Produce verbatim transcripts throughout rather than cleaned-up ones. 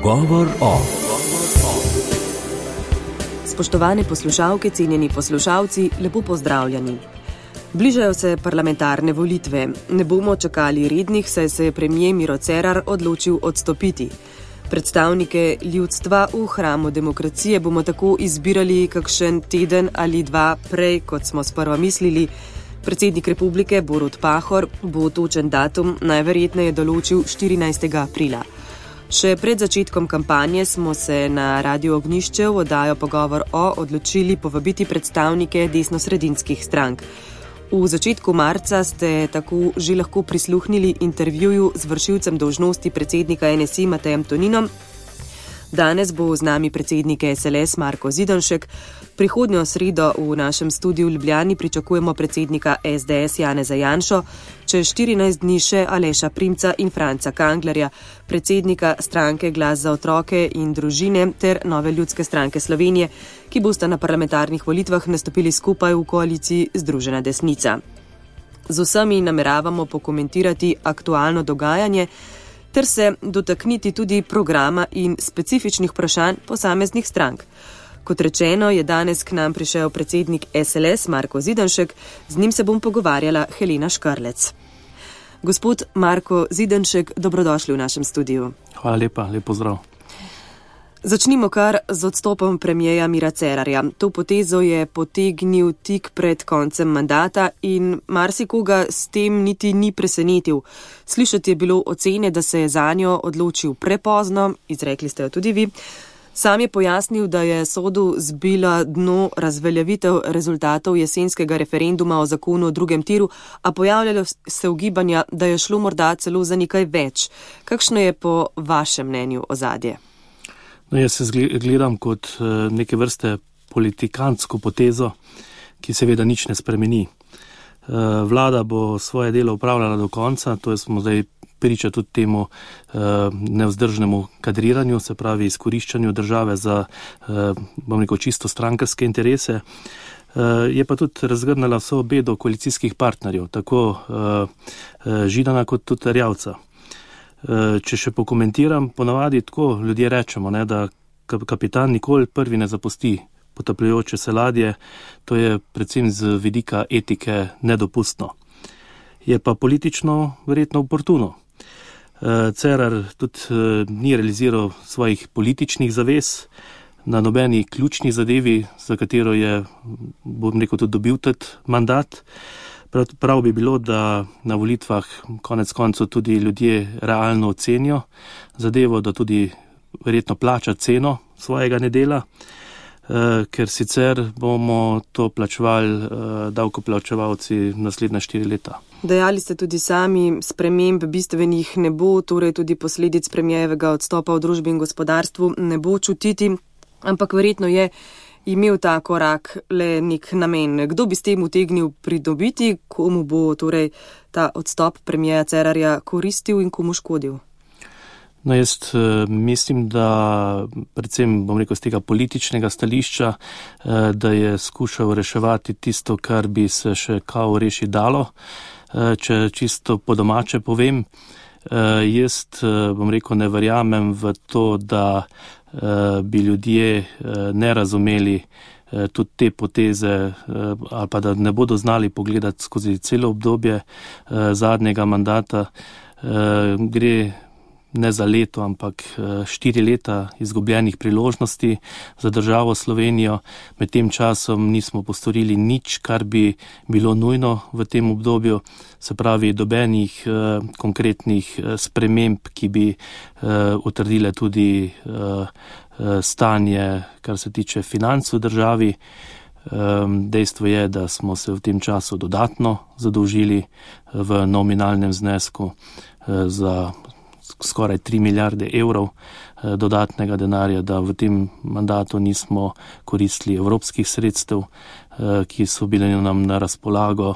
Pogovor o. Spoštovane poslušalke, cenjeni poslušalci, lepo pozdravljeni. Bližajo se parlamentarne volitve. Ne bomo čakali rednih, saj se je premier Miro Cerar odločil odstopiti. Predstavnike ljudstva v hramu demokracije bomo tako izbirali kakšen teden ali dva prej, kot smo sprva mislili. Predsednik republike Borut Pahor bo točen datum najverjetneje določil štirinajstega aprila. Še pred začetkom kampanje smo se na Radio Ognjišče v oddajo Pogovor o odločili povabiti predstavnike desnosredinskih strank. V začetku marca ste tako že lahko prisluhnili intervjuju z vršilcem dolžnosti predsednika N S I Matejem Toninom. Danes bo z nami predsednik S L S Marko Zidanšek. Prihodnjo sredo v našem studiu v Ljubljani pričakujemo predsednika S D S Janeza Janšo, čez štirinajst dni še Aleša Primca in Franca Kanglerja, predsednika stranke Glas za otroke in družine ter Nove ljudske stranke Slovenije, ki bosta na parlamentarnih volitvah nastopili skupaj v koaliciji Združena desnica. Z vsemi nameravamo pokomentirati aktualno dogajanje ter se dotakniti tudi programa in specifičnih vprašanj posameznih strank. Kot rečeno, je danes k nam prišel predsednik S L S Marko Zidanšek, z njim se bom pogovarjala Helena Škrlec. Gospod Marko Zidanšek, dobrodošli v našem studiu. Hvala lepa, lep pozdrav. Začnimo kar z odstopom premierja Mira Cerarja. To potezo je potegnil tik pred koncem mandata in marsikoga s tem niti ni presenetil. Slišati je bilo ocene, da se je zanjo odločil prepozno, izrekli ste jo tudi vi. Sam je pojasnil, da je sodu zbila dno razveljavitev rezultatov jesenskega referenduma o zakonu o drugem tiru, a pojavljalo se ugibanja, da je šlo morda celo za nekaj več. Kakšno je po vašem mnenju ozadje? No, jaz se gledam kot neke vrste politikantsko potezo, ki seveda nič ne spremeni. Vlada bo svoje delo upravljala do konca, to je smo zdaj priča tudi temu nevzdržnemu kadriranju, se pravi izkoriščanju države za, bom rekel, čisto strankarske interese. Je pa tudi razgrnala vso bedo koalicijskih partnerjev, tako Židana kot tudi Erjavca. Če še pokomentiram, ponavadi tako ljudje rečemo, ne, da kapitan nikoli prvi ne zapusti potapljajoče se ladje, to je predvsem z vidika etike nedopustno. Je pa politično verjetno oportuno. Cerar tudi ni realiziral svojih političnih zavez na nobeni ključni zadevi, za katero je, bom rekel, tudi dobil tudi mandat. Prav bi bilo, da na volitvah konec koncev tudi ljudje realno ocenijo zadevo, da tudi verjetno plača ceno svojega nedela, ker sicer bomo to plačevali davkoplačevalci naslednja štiri leta. Dejali ste tudi sami, sprememb bistvenih ne bo, torej tudi posledic premierjevega odstopa v družbi in gospodarstvu ne bo čutiti, ampak verjetno je imel ta korak le nek namen. Kdo bi s tem utegnil pridobiti, komu bo torej ta odstop premierja Cerarja koristil in komu škodil? No, jaz mislim, da predvsem, bom rekel, z tega političnega stališča, da je skušal reševati tisto, kar bi se še kao reši dalo. Če čisto po domače povem, jaz, bom rekel, ne verjamem v to, da bi ljudje ne razumeli tudi te poteze ali pa da ne bodo znali pogledati skozi celo obdobje zadnjega mandata. Gre ne za leto, ampak štiri leta izgubljenih priložnosti za državo Slovenijo. Med tem časom nismo postorili nič, kar bi bilo nujno v tem obdobju, se pravi dobenih konkretnih sprememb, ki bi utrdile tudi stanje, kar se tiče financ v državi. Dejstvo je, da smo se v tem času dodatno zadolžili v nominalnem znesku za skoraj tri milijarde evrov dodatnega denarja, da v tem mandatu nismo koristili evropskih sredstev, ki so bile nam na razpolago,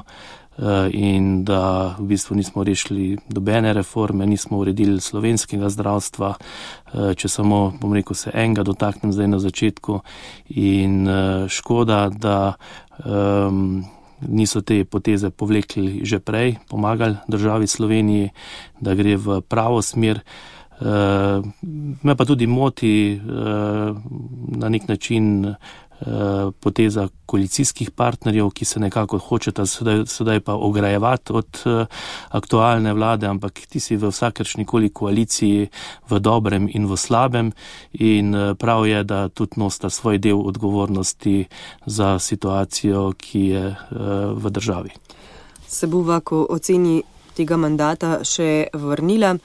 in da v bistvu nismo rešili dobene reforme, nismo uredili slovenskega zdravstva, če samo, bom rekel, se enega dotaknem zdaj na začetku, in škoda, da um, niso te poteze povlekli že prej, pomagali državi Sloveniji, da gre v pravo smer. Me pa tudi moti na nek način poteza koalicijskih partnerjev, ki se nekako hočeta sedaj, sedaj pa ograjevati od aktualne vlade, ampak ti si v vsakršnikoli koaliciji v dobrem in v slabem in prav je, da tudi nosta svoj del odgovornosti za situacijo, ki je v državi. Se bova, ko oceni tega mandata, še vrnila.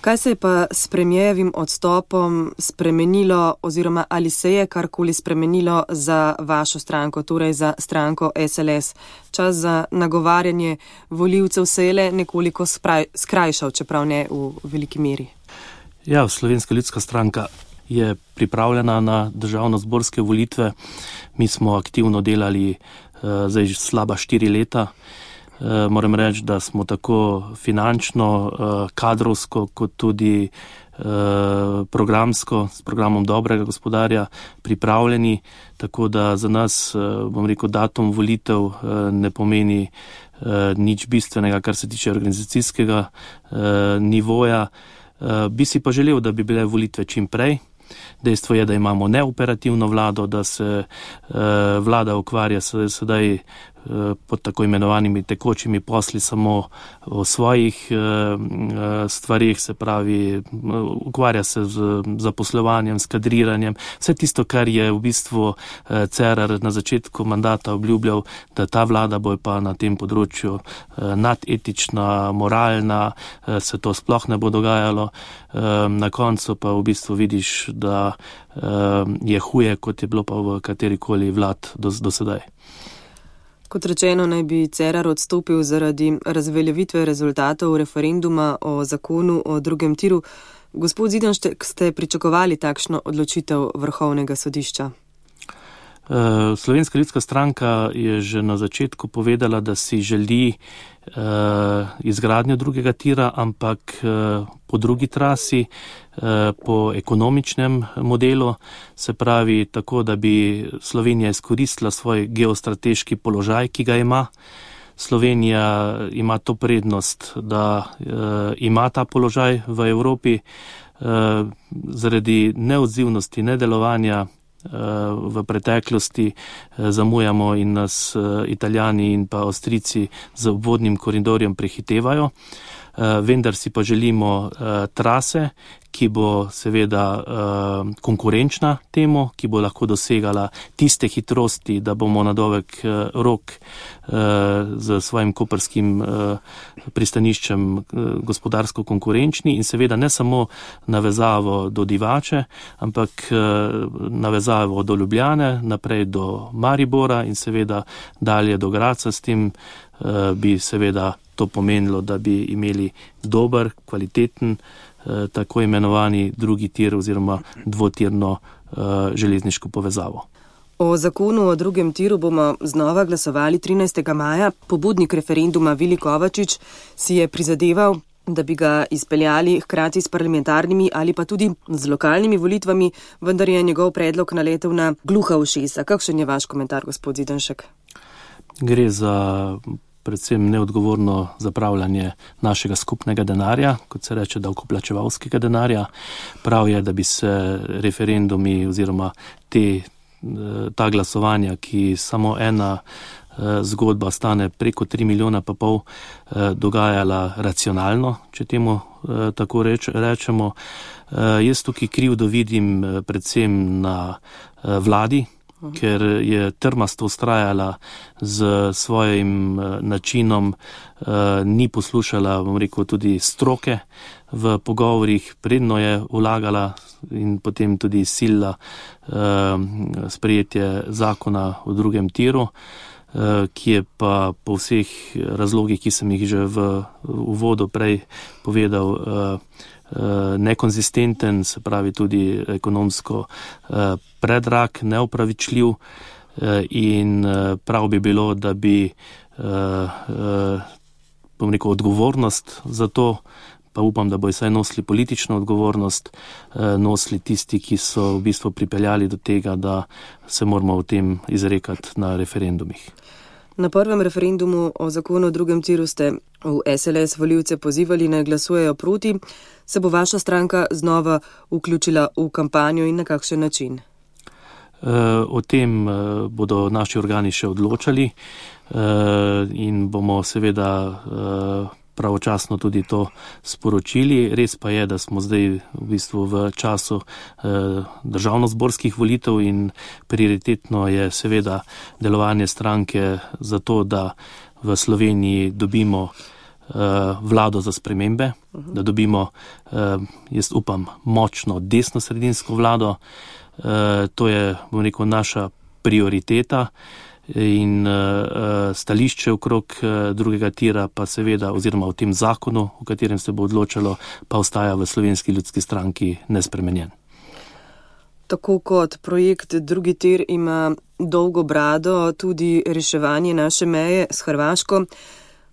Kaj se je pa s premijevim odstopom spremenilo oziroma ali se je karkoli spremenilo za vašo stranko, torej za stranko S L S? Čas za nagovarjanje volivcev se je le nekoliko spraj, skrajšal, čeprav ne v veliki meri. Ja, Slovenska ljudska stranka je pripravljena na državnozborske volitve. Mi smo aktivno delali uh, zdaj že slaba štiri leta. Uh, moram reči, da smo tako finančno, uh, kadrovsko, kot tudi uh, programsko, s programom dobrega gospodarja pripravljeni, tako da za nas, uh, bom rekel, datum volitev uh, ne pomeni uh, nič bistvenega, kar se tiče organizacijskega uh, nivoja. Uh, bi si pa želel, da bi bile volitve čim prej. Dejstvo je, da imamo neoperativno vlado, da se uh, vlada ukvarja sedaj pod tako imenovanimi tekočimi posli samo o svojih uh, stvarih, se pravi, ukvarja se z zaposlovanjem, s kadriranjem, vse tisto, kar je v bistvu uh, Cerar na začetku mandata obljubljal, da ta vlada bo pa na tem področju uh, nadetična, moralna, uh, se to sploh ne bo dogajalo. Uh, na koncu pa v bistvu vidiš, da uh, je huje, kot je bilo pa v katerikoli vlad do, do sedaj. Kot rečeno, naj bi Cerar odstopil zaradi razveljavitve rezultatov referenduma o zakonu o drugem tiru. Gospod Zidanšek, ste pričakovali takšno odločitev Vrhovnega sodišča? Slovenska ljudska stranka je že na začetku povedala, da si želi uh, izgradnjo drugega tira, ampak uh, po drugi trasi, uh, po ekonomičnem modelu, se pravi tako, da bi Slovenija izkoristila svoj geostrateški položaj, ki ga ima. Slovenija ima to prednost, da uh, ima ta položaj v Evropi uh, zaradi neodzivnosti, nedelovanja v preteklosti zamujamo in nas Italijani in pa Avstrijci z obvodnim koridorjem prehitevajo. Vendar si pa želimo trase, ki bo seveda konkurenčna temu, ki bo lahko dosegala tiste hitrosti, da bomo na dolg rok z svojim koprskim pristaniščem gospodarsko konkurenčni in seveda ne samo navezavo do Divače, ampak navezavo do Ljubljane, naprej do Maribora in seveda dalje do Graca. S tem bi seveda to pomenilo, da bi imeli dober, kvaliteten, tako imenovani drugi tir oziroma dvotirno železniško povezavo. O zakonu o drugem tiru bomo znova glasovali trinajstega maja. Pobudnik referenduma Vili Kovačič si je prizadeval, da bi ga izpeljali hkrati s parlamentarnimi ali pa tudi z lokalnimi volitvami, vendar je njegov predlog naletel na gluha ušesa. Kakšen je vaš komentar, gospod Zidanšek? Gre za predvsem neodgovorno zapravljanje našega skupnega denarja, kot se reče davkoplačevalskega denarja. Prav je, da bi se referendumi oziroma te, ta glasovanja, ki samo ena zgodba stane preko tri milijona pa pol, dogajala racionalno, če temu tako reč, rečemo. Jaz tukaj krivdo vidim predvsem na vladi, ker je trmasto ustrajala z svojim načinom, ni poslušala, bom rekel, tudi stroke v pogovorih, predno je vlagala in potem tudi silila sprejetje zakona o drugem tiru, ki je pa po vseh razlogih, ki sem jih že v uvodu prej povedal, nekonzistenten, se pravi tudi ekonomsko predrag, neopravičljiv in prav bi bilo, da bi bom rekel, odgovornost za to, pa upam, da bojo saj nosili politično odgovornost, nosili tisti, ki so v bistvu pripeljali do tega, da se moramo o tem izrekati na referendumih. Na prvem referendumu o zakonu o drugem tiru ste v S L S volivce pozivali, naj glasujejo proti. Se bo vaša stranka znova vključila v kampanjo in na kakšen način? O tem bodo naši organi še odločali in bomo seveda pravočasno tudi to sporočili. Res pa je, da smo zdaj v bistvu v času državnozborskih volitev in prioritetno je seveda delovanje stranke za to, da v Sloveniji dobimo vlado za spremembe, da dobimo, jaz upam, močno desno-sredinsko vlado. To je, bom rekel, naša prioriteta in stališče okrog drugega tira pa seveda, oziroma v tem zakonu, o katerem se bo odločalo, pa ostaja v Slovenski ljudski stranki nespremenjen. Tako kot projekt drugi tir ima dolgo brado tudi reševanje naše meje s Hrvaško.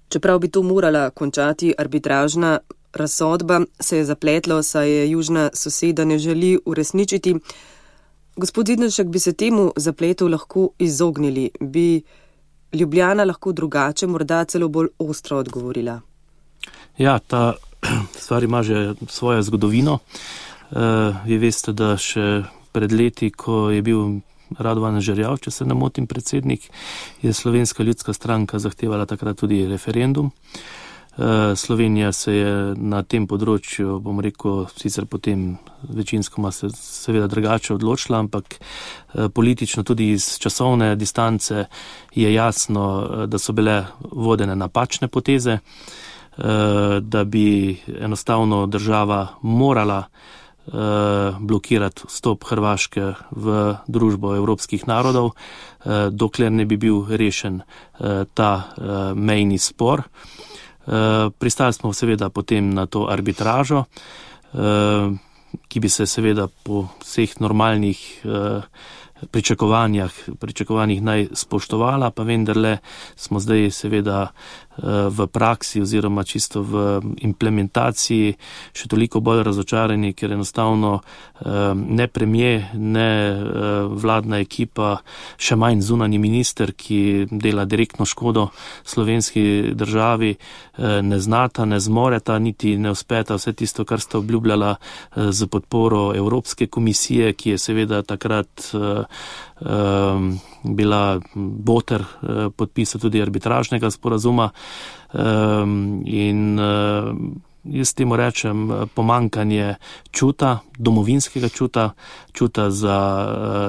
Čeprav bi to morala končati arbitražna razsodba, se je zapletlo, saj je južna soseda ne želi uresničiti. Gospod Zidnovšek, bi se temu zapletu lahko izognili? Bi Ljubljana lahko drugače, morda celo bolj ostro odgovorila? Ja, ta stvar ima že svojo zgodovino. Vi veste, da še pred leti, ko je bil Radovan Žerjav, če se ne motim, predsednik, je Slovenska ljudska stranka zahtevala takrat tudi referendum. Slovenija se je na tem področju, bom rekel, sicer potem večinskoma se seveda drugače odločila, ampak politično tudi iz časovne distance je jasno, da so bile vodene napačne poteze, da bi enostavno država morala blokirati vstop Hrvaške v družbo evropskih narodov, dokler ne bi bil rešen ta mejni spor. Pristali smo seveda potem na to arbitražo, ki bi se seveda po vseh normalnih pričakovanjih, pričakovanjih naj spoštovala, pa vendarle smo zdaj seveda v praksi oziroma čisto v implementaciji še toliko bolj razočarani, ker enostavno ne premier, ne vladna ekipa, še manj zunanji minister, ki dela direktno škodo slovenski državi, ne znata, ne zmoreta, niti ne uspeta vse tisto, kar sta obljubljala z podporo Evropske komisije, ki je seveda takrat bila boter podpisa tudi arbitražnega sporazuma. In jaz temu rečem pomankanje čuta, domovinskega čuta, čuta za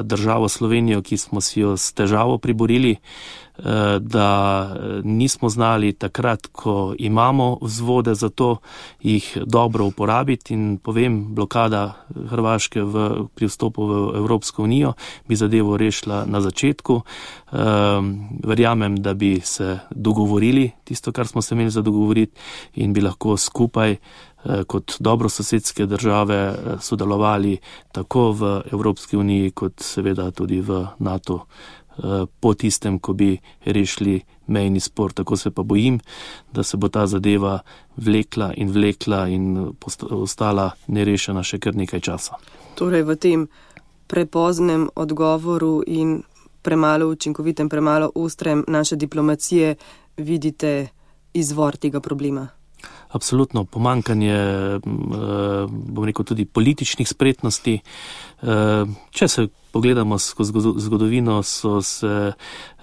državo Slovenijo, ki smo si jo s težavo priborili, da nismo znali takrat, ko imamo vzvode za to, jih dobro uporabiti. In povem, blokada Hrvaške v, pri vstopu v Evropsko unijo bi zadevo rešila na začetku. Verjamem, da bi se dogovorili tisto, kar smo se imeli za dogovoriti, in bi lahko skupaj kot dobrososedske države sodelovali tako v Evropski uniji, kot seveda tudi v NATO po tistem, ko bi rešili mejni spor. Tako se pa bojim, da se bo ta zadeva vlekla in vlekla in ostala nerešena še kar nekaj časa. Torej v tem prepoznem odgovoru in premalo učinkovitem, premalo ostrem naše diplomacije vidite izvor tega problema? Absolutno, pomankanje, bom rekel, tudi političnih spretnosti. Če se pogledamo skozi zgodovino, so se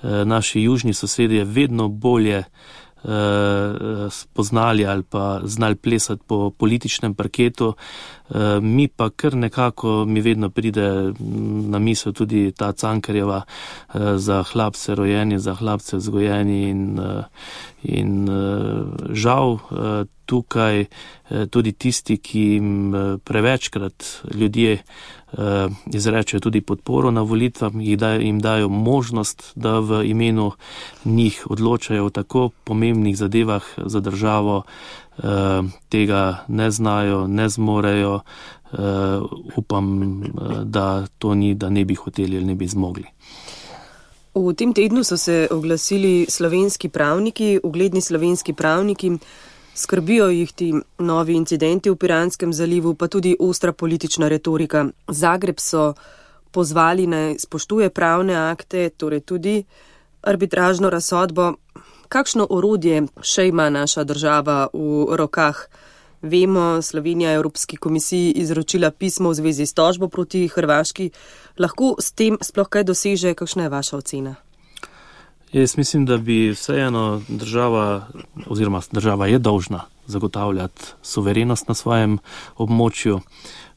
naši južni sosedje vedno bolje spoznali ali pa znali plesati po političnem parketu. Mi pa kar nekako, mi vedno pride na misel tudi ta Cankarjeva za hlapce rojeni, za hlapce vzgojeni in, in žal tukaj tudi tisti, ki jim prevečkrat ljudje izrečejo tudi podporo na volitvah, jim dajo možnost, da v imenu njih odločajo o tako pomembnih zadevah za državo, tega ne znajo, ne zmorejo. Upam, da to ni, da ne bi hoteli ali ne bi zmogli. V tem tednu so se oglasili slovenski pravniki, ugledni slovenski pravniki. Skrbijo jih ti novi incidenti v Piranskem zalivu, pa tudi ostra politična retorika. Zagreb so pozvali naj spoštuje pravne akte, torej tudi arbitražno razsodbo. Kakšno orodje še ima naša država v rokah? Vemo, Slovenija je Evropski komisiji izročila pismo v zvezi s tožbo proti Hrvaški. Lahko s tem sploh kaj doseže? Kakšna je vaša ocena? Jaz mislim, da bi vseeno država, oziroma država je dolžna zagotavljati suverenost na svojem območju.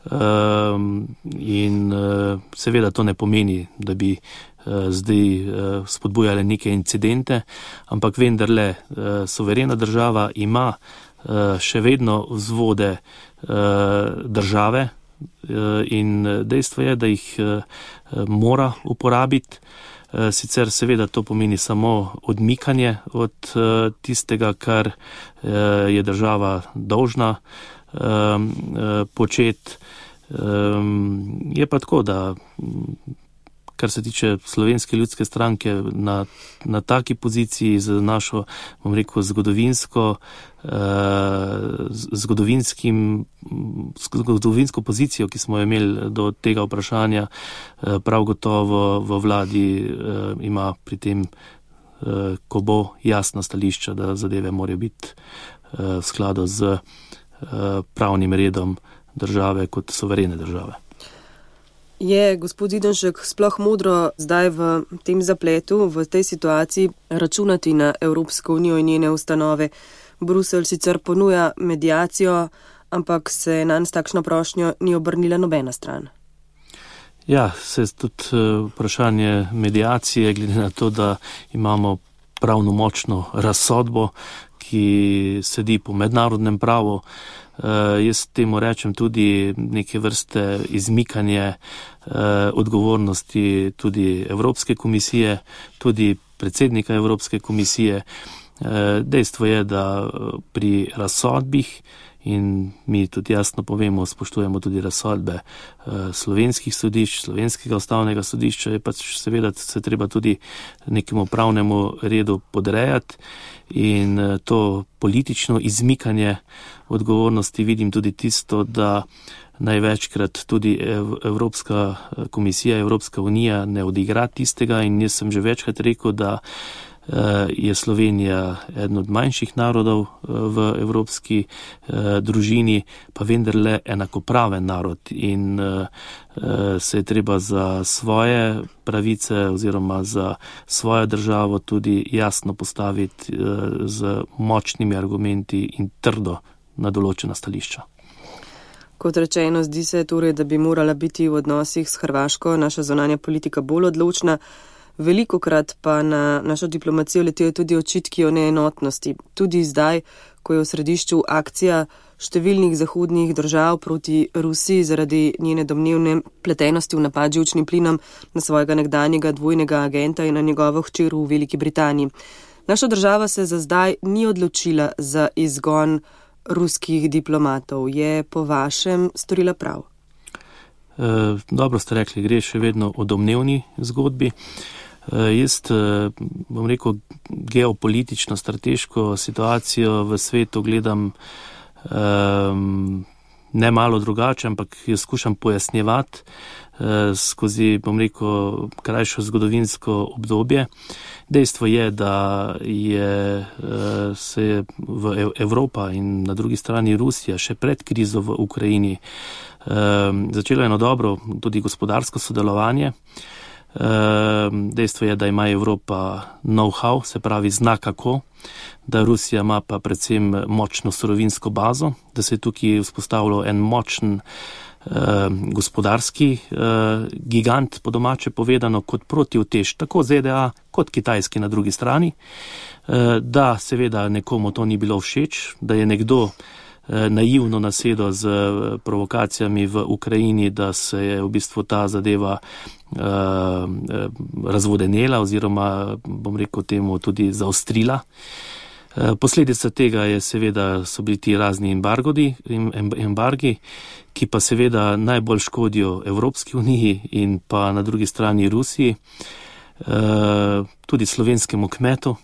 Um, in uh, seveda to ne pomeni, da bi uh, zdaj uh, spodbujali neke incidente, ampak vendarle uh, suverena država ima uh, še vedno vzvode uh, države uh, in dejstvo je, da jih uh, mora uporabiti. Uh, sicer seveda to pomeni samo odmikanje od uh, tistega, kar uh, je država dolžna um, uh, početi. Um, je pa tako, da kar se tiče Slovenske ljudske stranke na, na taki poziciji z našo, bom rekel, zgodovinsko, uh, zgodovinskim, zgodovinsko pozicijo, ki smo jo imeli do tega vprašanja, uh, prav gotovo v vladi uh, ima pri tem, uh, ko bo jasno stališče, da zadeve morajo biti uh, v skladu z uh, pravnim redom države kot suverene države. Je gospod Zidanšek sploh modro zdaj v tem zapletu, v tej situaciji računati na Evropsko unijo in njene ustanove? Bruselj sicer ponuja mediacijo, ampak se nanj s takšno prošnjo ni obrnila nobena stran. Ja, se tudi vprašanje mediacije, glede na to, da imamo pravno močno razsodbo, ki sedi po mednarodnem pravu. Uh, jaz temu rečem tudi neke vrste izmikanje uh, odgovornosti tudi Evropske komisije, tudi predsednika Evropske komisije. Uh, dejstvo je, da pri razsodbih, in mi tudi jasno povemo, spoštujemo tudi razsodbe uh, slovenskih sodišč, slovenskega ustavnega sodišča, je pač seveda se treba tudi nekemu pravnemu redu podrejati. In to politično izmikanje odgovornosti vidim tudi tisto, da največkrat tudi Evropska komisija, Evropska unija ne odigra tistega in jaz sem že večkrat rekel, da je Slovenija eden od manjših narodov v evropski družini, pa vendarle enakopraven narod in se je treba za svoje pravice oziroma za svojo državo tudi jasno postaviti z močnimi argumenti in trdo na določena stališča. Kot rečeno, zdi se torej, da bi morala biti v odnosih s Hrvaško naša zunanja politika bolj odločna. Velikokrat pa na našo diplomacijo letijo tudi očitki o neenotnosti. Tudi zdaj, ko je v središču akcija številnih zahodnih držav proti Rusiji zaradi njene domnevne pletenosti v napad z živčnim plinom na svojega nekdanjega dvojnega agenta in na njegovo hčer v Veliki Britaniji. Naša država se za zdaj ni odločila za izgon ruskih diplomatov. Je po vašem storila prav? E, dobro ste rekli, gre še vedno o domnevni zgodbi. E, jaz bom rekel, geopolitično, strateško situacijo v svetu gledam e, ne malo drugače, ampak jo skušam pojasnjevati e, skozi, bom rekel, krajšo zgodovinsko obdobje. Dejstvo je, da je se je v Evropa in na drugi strani Rusija še pred krizo v Ukrajini začelo eno dobro tudi gospodarsko sodelovanje. Dejstvo je, da ima Evropa know-how, se pravi zna kako, da Rusija ima pa predvsem močno surovinsko bazo, da se je tukaj vzpostavilo en močen Uh, gospodarski uh, gigant, po domače povedano, kot protivtež tako Z D A kot Kitajski na drugi strani, uh, da seveda nekomu to ni bilo všeč, da je nekdo uh, naivno nasedel z uh, provokacijami v Ukrajini, da se je v bistvu ta zadeva uh, razvodenela oziroma, bom rekel temu, tudi zaostrila. Posledica tega je seveda so bili ti razni embargodi, embargi, ki pa seveda najbolj škodijo Evropski uniji in pa na drugi strani Rusiji, tudi slovenskemu kmetu,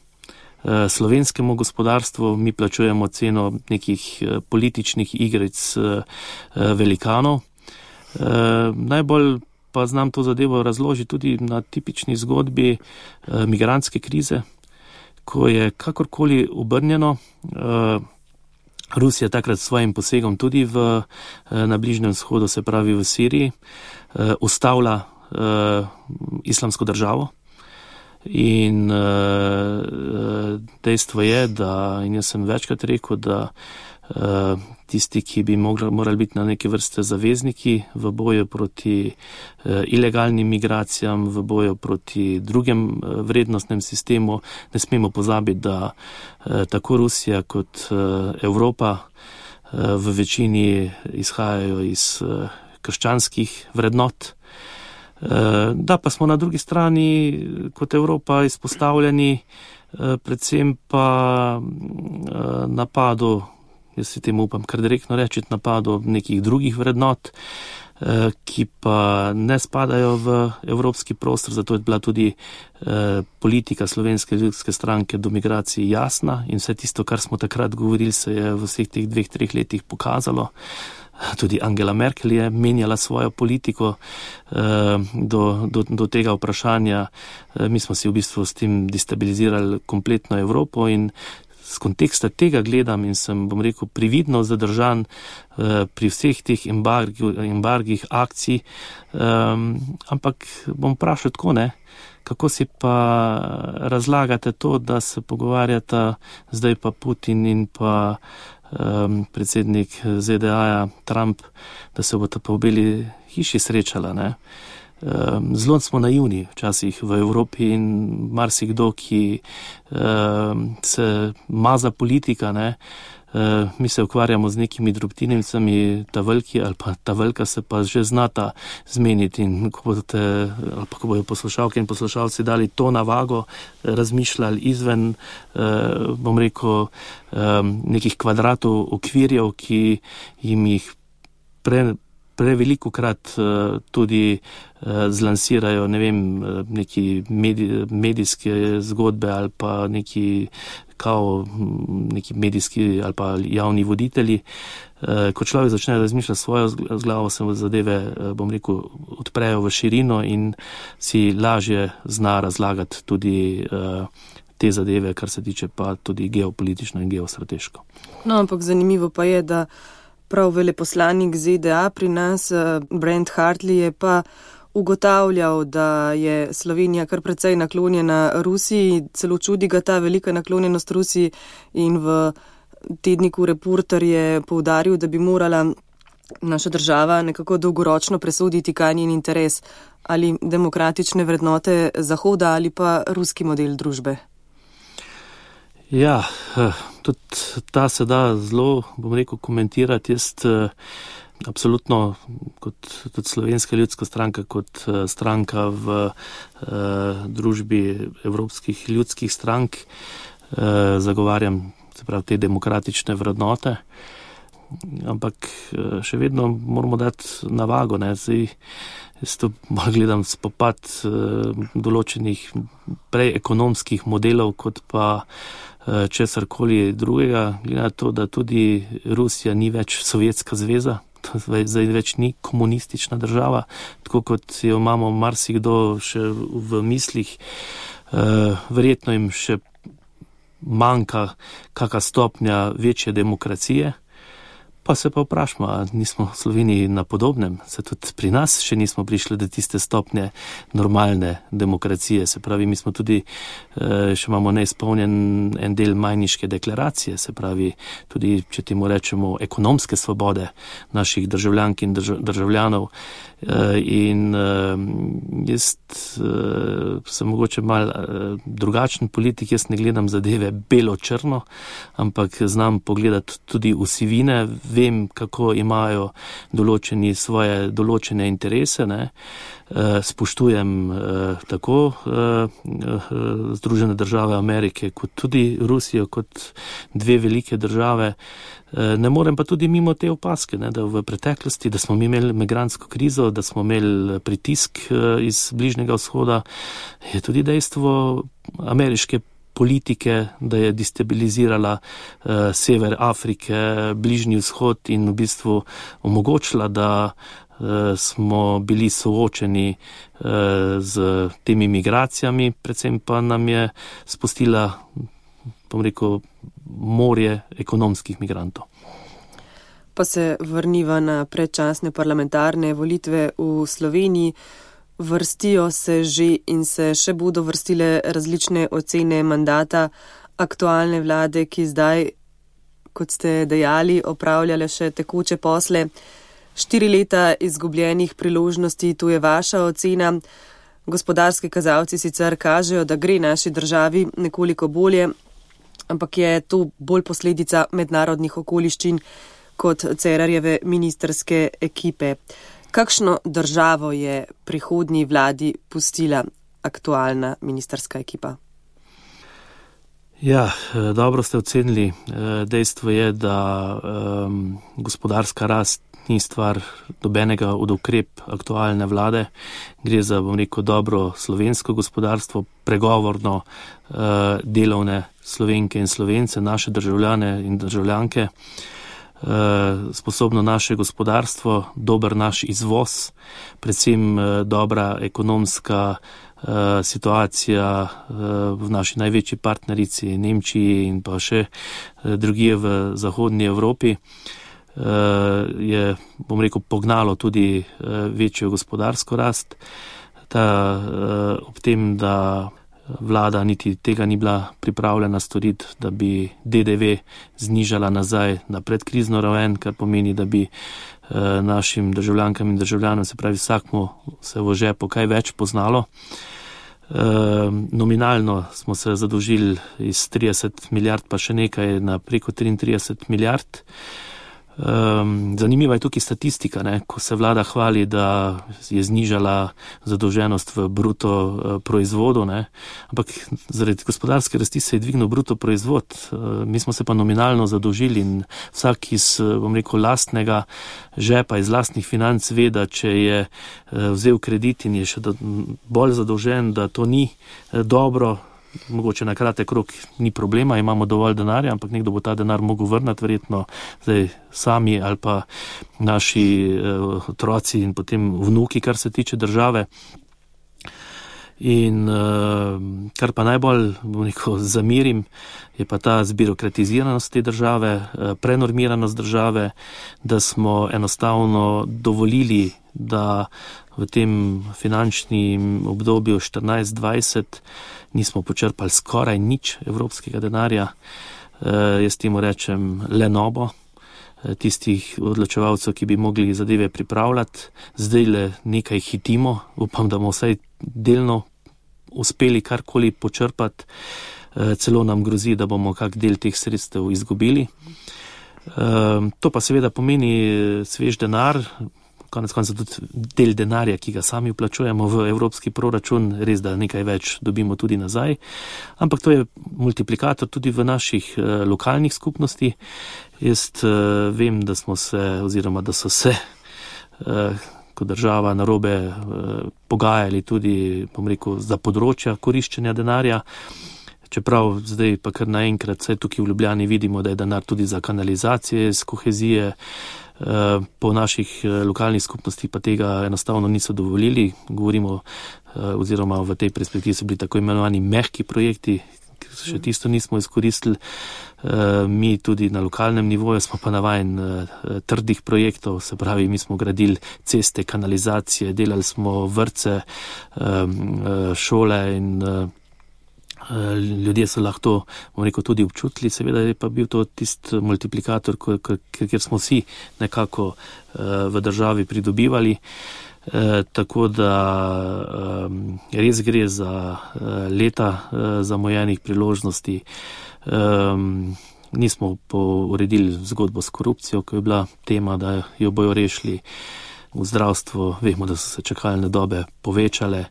slovenskemu gospodarstvu. Mi plačujemo ceno nekih političnih igric velikanov. Najbolj pa znam to zadevo razložiti tudi na tipični zgodbi eh, migrantske krize, ko je kakorkoli obrnjeno, eh, Rusija takrat s svojim posegom tudi v, eh, na Bližnjem vzhodu, se pravi v Siriji, eh, ustavlja eh, islamsko državo. In uh, dejstvo je, da, in jaz sem večkrat rekel, da uh, tisti, ki bi mogli, morali biti na neke vrste zavezniki v boju proti uh, ilegalnim migracijam, v boju proti drugem uh, vrednostnem sistemu, ne smemo pozabiti, da uh, tako Rusija kot uh, Evropa uh, v večini izhajajo iz uh, krščanskih vrednot. Da pa smo na drugi strani kot Evropa izpostavljeni predvsem pa napadu, jaz si temu upam kar direktno reči, napadu nekih drugih vrednot, ki pa ne spadajo v evropski prostor, zato je bila tudi politika Slovenske ljudske stranke do migracij jasna in vse tisto, kar smo takrat govorili, se je v vseh teh dveh, treh letih pokazalo. Tudi Angela Merkel je menjala svojo politiko eh, do, do, do tega vprašanja. Eh, mi smo si v bistvu s tem destabilizirali kompletno Evropo in z konteksta tega gledam in sem, bom rekel, prividno zadržan eh, pri vseh teh embarg, embargih akcij, eh, ampak bom vprašal tako, ne, kako si pa razlagate to, da se pogovarjata zdaj pa Putin in pa Um, predsednik Z D A-ja Trump, da se bo ta pa v Beli hiši srečala. Ne? Um, zelo smo naivni včasih v Evropi in marsikdo, ki um, se maza politika, ne? Uh, mi se ukvarjamo z nekimi drobtinicami, ta veliki ali pa ta velika se pa že znata zmeniti in ko bodo, ali pa ko bojo poslušalke in poslušalci dali to na vago, razmišljali izven, uh, bom rekel, um, nekih kvadratov okvirjev, ki jim jih pre, preveliko krat uh, tudi uh, zlansirajo, ne vem, neki medij, medijske zgodbe ali pa neki kao neki medijski ali pa javni voditelji. Ko človek začne razmišljati svojo z glavo, se zadeve, bom rekel, odprejo v širino in si lažje zna razlagati tudi te zadeve, kar se tiče pa tudi geopolitično in geostrateško. No, ampak zanimivo pa je, da prav veleposlanik Z D A pri nas, Brent Hartley, je pa ugotavljal, da je Slovenija kar precej naklonjena Rusiji, celo čudi ga ta velika naklonjenost Rusiji in v tedniku Reporter je poudaril, da bi morala naša država nekako dolgoročno presoditi, kaj njen interes, ali demokratične vrednote Zahoda ali pa ruski model družbe. Ja, tudi ta se da zelo, bom rekel, komentirati. Jaz absolutno kot tudi Slovenska ljudska stranka, kot stranka v uh, družbi evropskih ljudskih strank uh, zagovarjam, se pravi, te demokratične vrednote, ampak uh, še vedno moramo dati na vago, ne, zdaj jaz to bolj gledam spopad uh, določenih prej ekonomskih modelov, kot pa uh, česarkoli drugega, glede na to, da tudi Rusija ni več Sovjetska zveza, zdaj več ni komunistična država, tako kot jo imamo marsikdo še v mislih. Uh, verjetno jim še manjka kakšna stopnja večje demokracije, pa se pa vprašamo, nismo v Sloveniji na podobnem, se tudi pri nas še nismo prišli do tiste stopnje normalne demokracije, se pravi, mi smo tudi, še imamo neizpolnjen en del Majniške deklaracije, se pravi, tudi, če temu rečemo, ekonomske svobode naših državljank in državljanov, in jaz sem mogoče mal drugačen politik, jaz ne gledam zadeve belo-črno, ampak znam pogledati tudi v sivine, vem, kako imajo določeni svoje določene interese, ne. Spoštujem tako Združene države Amerike, kot tudi Rusijo, kot dve velike države. Ne morem pa tudi mimo te opaske, ne, da v preteklosti, da smo mi imeli migrantsko krizo, da smo imeli pritisk iz Bližnjega vzhoda, je tudi dejstvo ameriške politike, da je destabilizirala uh, sever Afrike, Bližnji vzhod in v bistvu omogočila, da uh, smo bili soočeni uh, z temi migracijami, predvsem pa nam je spustila, bom rekel, morje ekonomskih migrantov. Pa se vrniva na predčasne parlamentarne volitve v Sloveniji. Vrstijo se že in se še bodo vrstile različne ocene mandata aktualne vlade, ki zdaj, kot ste dejali, opravljale še tekoče posle. Štiri leta izgubljenih priložnosti, to je vaša ocena. Gospodarski kazalci sicer kažejo, da gre naši državi nekoliko bolje, ampak je to bolj posledica mednarodnih okoliščin kot Cerarjeve ministrske ekipe. Kakšno državo je prihodnji vladi pustila aktualna ministrska ekipa? Ja, dobro ste ocenili. Dejstvo je, da um, gospodarska rast ni stvar dobenega od ukrep aktualne vlade. Gre za, bom rekel, dobro slovensko gospodarstvo, pregovorno uh, delovne Slovenke in Slovence, naše državljane in državljanke, sposobno naše gospodarstvo, dober naš izvoz, predvsem dobra ekonomska situacija v naši največji partnerici Nemčiji in pa še drugje v zahodnji Evropi je, bom rekel, pognalo tudi večjo gospodarsko rast. Ta, ob tem, da vlada niti tega ni bila pripravljena storiti, da bi D D V znižala nazaj na predkrizno raven, kar pomeni, da bi eh, našim državljankam in državljanom, se pravi vsakmu, se v žepu kaj več poznalo. Eh, nominalno smo se zadolžili iz trideset milijard pa še nekaj na preko triintrideset milijard. Um, zanimiva je tukaj statistika, ne? Ko se vlada hvali, da je znižala zadolženost v bruto uh, proizvodu, ne? Ampak zaradi gospodarske rasti se je dvignil bruto proizvod. Uh, mi smo se pa nominalno zadolžili in vsak iz, bom rekel, lastnega žepa, iz lastnih financ ve, da če je uh, vzel kredit in je še do, bolj zadolžen, da to ni uh, dobro. Mogoče na kratek rok ni problema, imamo dovolj denarja, ampak nekdo bo ta denar mogel vrnati, verjetno zdaj sami ali pa naši uh, otroci in potem vnuki, kar se tiče države. In uh, kar pa najbolj, bom rekel, zamirim, je pa ta zbirokratiziranost te države, uh, prenormiranost države, da smo enostavno dovolili, da v tem finančnem obdobju štirinajst dvajset nismo počrpali skoraj nič evropskega denarja. Uh, jaz temu rečem lenobo tistih odločevalcev, ki bi mogli zadeve pripravljati. Zdaj le nekaj hitimo, upam, da bomo vsaj delno uspeli karkoli počrpati. Celo nam grozi, da bomo kak del teh sredstev izgubili. To pa seveda pomeni svež denar, konec konca tudi del denarja, ki ga sami vplačujemo v evropski proračun, res da nekaj več dobimo tudi nazaj. Ampak to je multiplikator tudi v naših uh, lokalnih skupnosti. Jaz uh, vem, da smo se, oziroma da so se uh, kot država narobe uh, pogajali tudi, bom rekel, za področja koriščenja denarja. Čeprav zdaj pa kar naenkrat, vsaj tukaj v Ljubljani vidimo, da je denar tudi za kanalizacije, z kohezije. Po naših lokalnih skupnosti pa tega enostavno niso dovolili. Govorimo, oziroma v tej perspektivi so bili tako imenovani mehki projekti, ki še tisto nismo izkoristili. Mi tudi na lokalnem nivoju smo pa navajeni trdih projektov, se pravi, mi smo gradili ceste, kanalizacije, delali smo vrtce, šole in ljudje so lahko to, bom rekel, tudi občutili, seveda je pa bil to tist multiplikator, kjer smo vsi nekako v državi pridobivali. Tako da res gre za leta zamujenih priložnosti. Nismo uredili zgodbo s korupcijo, ko je bila tema, da jo bojo rešili. V zdravstvu vemo, da so se čakalne dobe povečale,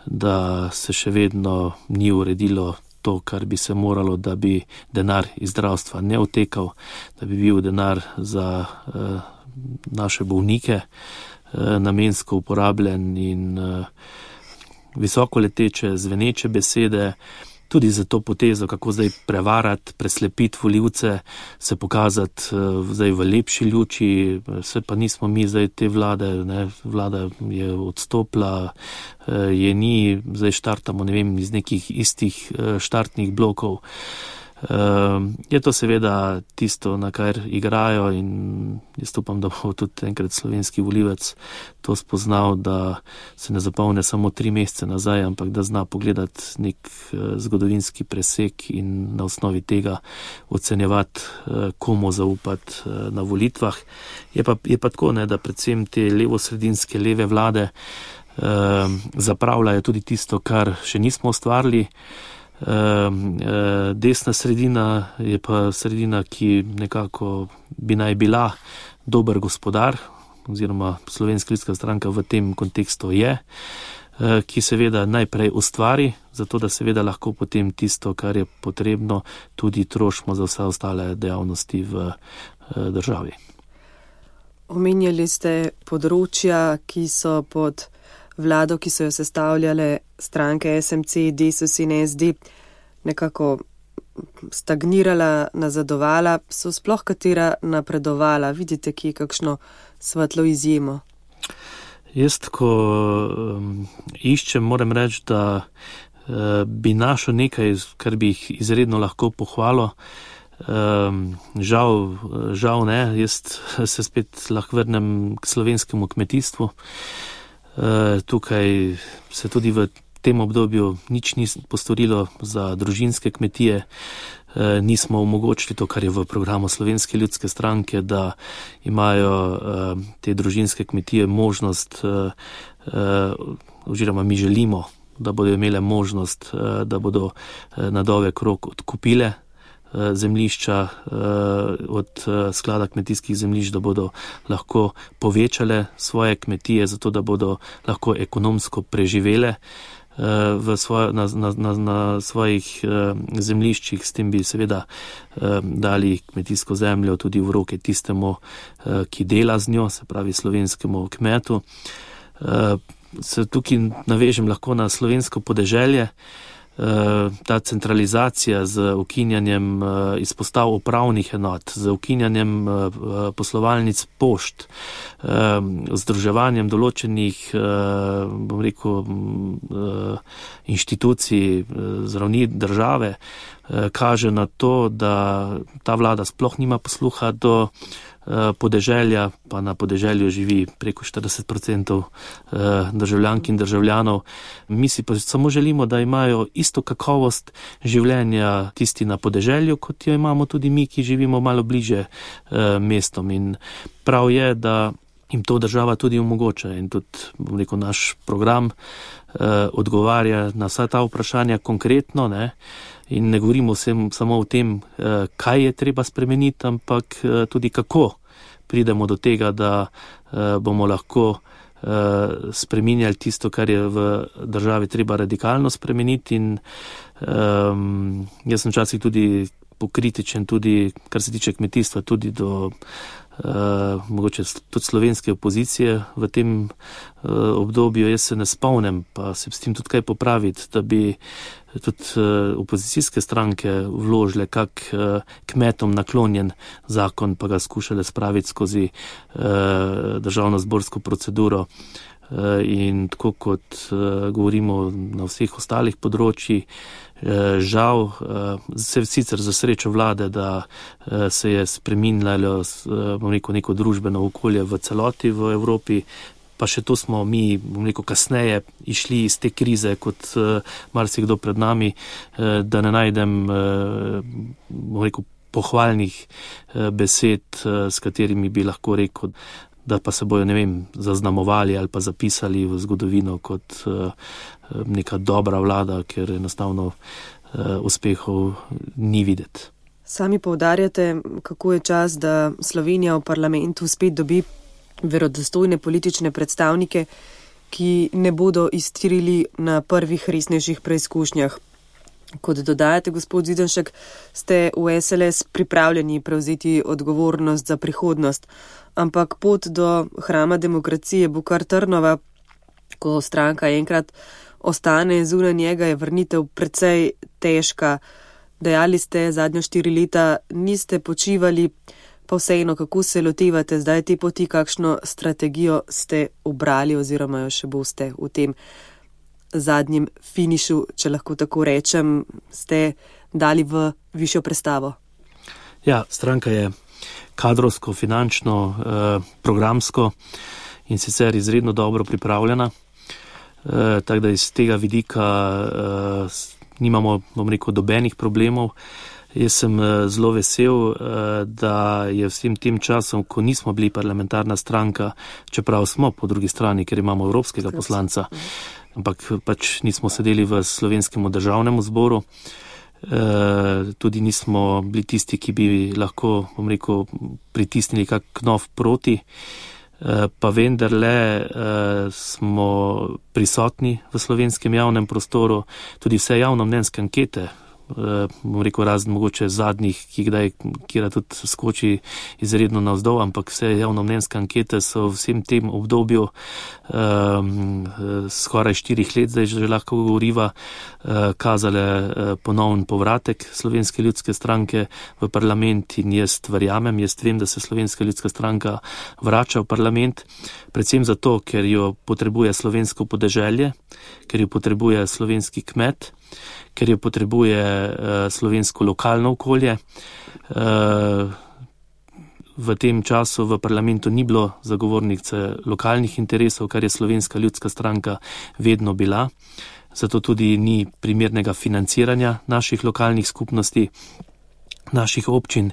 da se še vedno ni uredilo to, kar bi se moralo, da bi denar iz zdravstva ne odtekal, da bi bil denar za uh, naše bolnike uh, namensko uporabljen in uh, visoko leteče, zveneče besede, tudi za to potezo, kako zdaj prevarati, preslepiti volivce, se pokazati zdaj v lepši luči, vse pa nismo mi zdaj te vlade, ne, vlada je odstopila, je ni, zdaj štartamo, ne vem, iz nekih istih štartnih blokov. Je to seveda tisto, na kar igrajo in jaz upam, da bo tudi enkrat slovenski volivec to spoznal, da se ne zapomne samo tri mesece nazaj, ampak da zna pogledati nek zgodovinski presek in na osnovi tega ocenjevati, komu zaupati na volitvah. Je pa, je pa tako, ne, da predvsem te levosredinske leve vlade zapravljajo tudi tisto, kar še nismo ustvarili. Desna sredina je pa sredina, ki nekako bi naj bila dober gospodar, oziroma Slovenska ljudska stranka v tem kontekstu je, ki seveda najprej ustvari, zato da seveda lahko potem tisto, kar je potrebno, tudi trošimo za vse ostale dejavnosti v državi. Omenjali ste področja, ki so pod vlado, ki so jo sestavljale stranke S M C, Desus in S D, nekako stagnirala, nazadovala, so sploh katera napredovala? Vidite kje kakšno svetlo izjemo? Jaz, ko um, iščem, moram reči, da uh, bi našel nekaj, kar bi jih izredno lahko pohvalil. Um, žal, žal ne, jaz se spet lahko vrnem k slovenskemu kmetijstvu. Uh, tukaj se tudi v tem obdobju nič ni postorilo za družinske kmetije, uh, nismo omogočili to, kar je v programu Slovenske ljudske stranke, da imajo uh, te družinske kmetije možnost, uh, uh, oziroma mi želimo, da bodo imele možnost, uh, da bodo uh, na dolgi rok odkupile zemljišča od sklada kmetijskih zemljišč, da bodo lahko povečale svoje kmetije, zato da bodo lahko ekonomsko preživele v svoj, na, na, na, na svojih zemljiščih. S tem bi seveda dali kmetijsko zemljo tudi v roke tistemu, ki dela z njo, se pravi slovenskemu kmetu. Se tukaj navežem lahko na slovensko podeželje. Ta centralizacija z ukinjanjem izpostav upravnih enot, z ukinjanjem poslovalnic pošt, združevanjem določenih, bom rekel, inštitucij z ravni države, kaže na to, da ta vlada sploh nima posluha do podeželja, pa na podeželju živi preko štirideset procentov državljank in državljanov. Mi si pa samo želimo, da imajo isto kakovost življenja tisti na podeželju, kot jo imamo tudi mi, ki živimo malo bliže mestom. In prav je, da jim to država tudi omogoča. In tudi, bom rekel, naš program odgovarja na vsa ta vprašanja konkretno, ne? In ne govorimo vsem samo o tem, kaj je treba spremeniti, ampak tudi kako pridemo do tega, da bomo lahko spreminjali tisto, kar je v državi treba radikalno spremeniti. In um, jaz sem včasih tudi pokritičen, tudi kar se tiče kmetijstva, tudi do Uh, mogoče tudi slovenske opozicije v tem uh, obdobju. Jaz se ne spomnim, pa se s tem tudi kaj popraviti, da bi tudi uh, opozicijske stranke vložile kak uh, kmetom naklonjen zakon, pa ga skušale spraviti skozi uh, državno-zborsko proceduro. Uh, in tako kot uh, govorimo na vseh ostalih področjih, žal, se sicer za srečo vlade, da se je spreminjalo, bom rekel, neko družbeno okolje v celoti v Evropi, pa še to smo mi, bom rekel, kasneje išli iz te krize kot marsikdo pred nami, da ne najdem, bom rekel, pohvalnih besed, s katerimi bi lahko rekel, da pa se bojo, ne vem, zaznamovali ali pa zapisali v zgodovino kot neka dobra vlada, ker enostavno uspehov ni videti. Sami poudarjate, kako je čas, da Slovenija v parlamentu spet dobi verodostojne politične predstavnike, ki ne bodo iztirili na prvih resnejših preizkušnjah. Kot dodajate, gospod Zidanšek, ste v S L S pripravljeni prevzeti odgovornost za prihodnost, ampak pot do hrama demokracije bo kar trnova, ko stranka enkrat ostane zunaj njega, je vrnitev precej težka. Dejali ste, zadnjo štiri leta niste počivali, pa vseeno, kako se lotevate zdaj te poti, kakšno strategijo ste obrali oziroma jo še boste v tem zadnjem finišu, če lahko tako rečem, ste dali v višjo prestavo? Ja, stranka je kadrovsko, finančno, eh, programsko in sicer izredno dobro pripravljena. Eh, tako da iz tega vidika eh, nimamo, bom rekel, dobenih problemov. Jaz sem eh, zelo vesel, eh, da je vsem tem časom, ko nismo bili parlamentarna stranka, čeprav smo po drugi strani, ker imamo evropskega poslanca, ampak pač nismo sedeli v slovenskem državnem zboru. Uh, tudi nismo bili tisti, ki bi lahko, bom rekel, pritisnili kak knov proti, uh, pa vendarle uh, smo prisotni v slovenskem javnem prostoru, tudi vse javnomnenjske ankete, uh, bom rekel, razen mogoče zadnjih, ki kdaj, kjer tudi skoči izredno navzdol, ampak vse javnomnenjske ankete so v vsem tem obdobju um, skoraj štirih let, zdaj že lahko govoriva, uh, kazale uh, ponovn povratek Slovenske ljudske stranke v parlament in jaz verjamem, jaz vem, da se Slovenska ljudska stranka vrača v parlament, predvsem zato, ker jo potrebuje slovensko podeželje, ker jo potrebuje slovenski kmet, ker jo potrebuje uh, slovensko lokalno okolje. Uh, v tem času v parlamentu ni bilo zagovornice lokalnih interesov, kar je Slovenska ljudska stranka vedno bila. Zato tudi ni primernega financiranja naših lokalnih skupnosti, naših občin.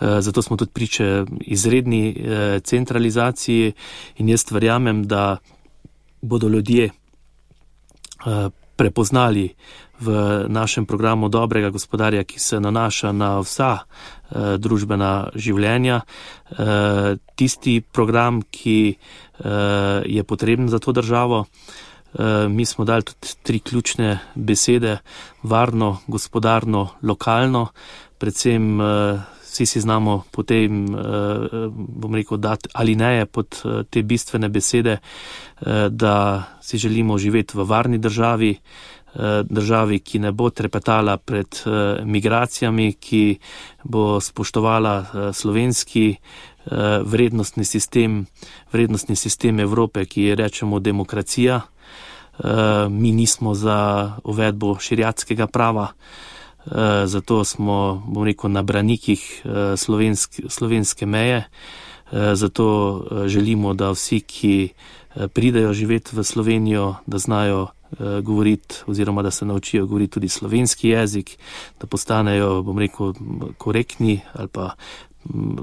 Uh, zato smo tudi priče izredni uh, centralizaciji in jaz verjamem, da bodo ljudje uh, prepoznali v našem programu dobrega gospodarja, ki se nanaša na vsa uh, družbena življenja, uh, tisti program, ki uh, je potreben za to državo. Uh, mi smo dali tudi tri ključne besede: varno, gospodarno, lokalno. Predvsem uh, vsi si znamo potem, uh, bom rekel, dati alineje pod uh, te bistvene besede, uh, da si želimo živeti v varni državi, državi, ki ne bo trepetala pred uh, migracijami, ki bo spoštovala uh, slovenski uh, vrednostni sistem, vrednostni sistem Evrope, ki je rečemo demokracija. Uh, mi nismo za uvedbo šeriatskega prava, uh, zato smo, bom rekel, na branikih uh, slovensk, slovenske meje. Uh, zato uh, želimo, da vsi, ki uh, pridejo živeti v Slovenijo, da znajo govoriti oziroma da se naučijo govoriti tudi slovenski jezik, da postanejo, bom rekel, korektni ali pa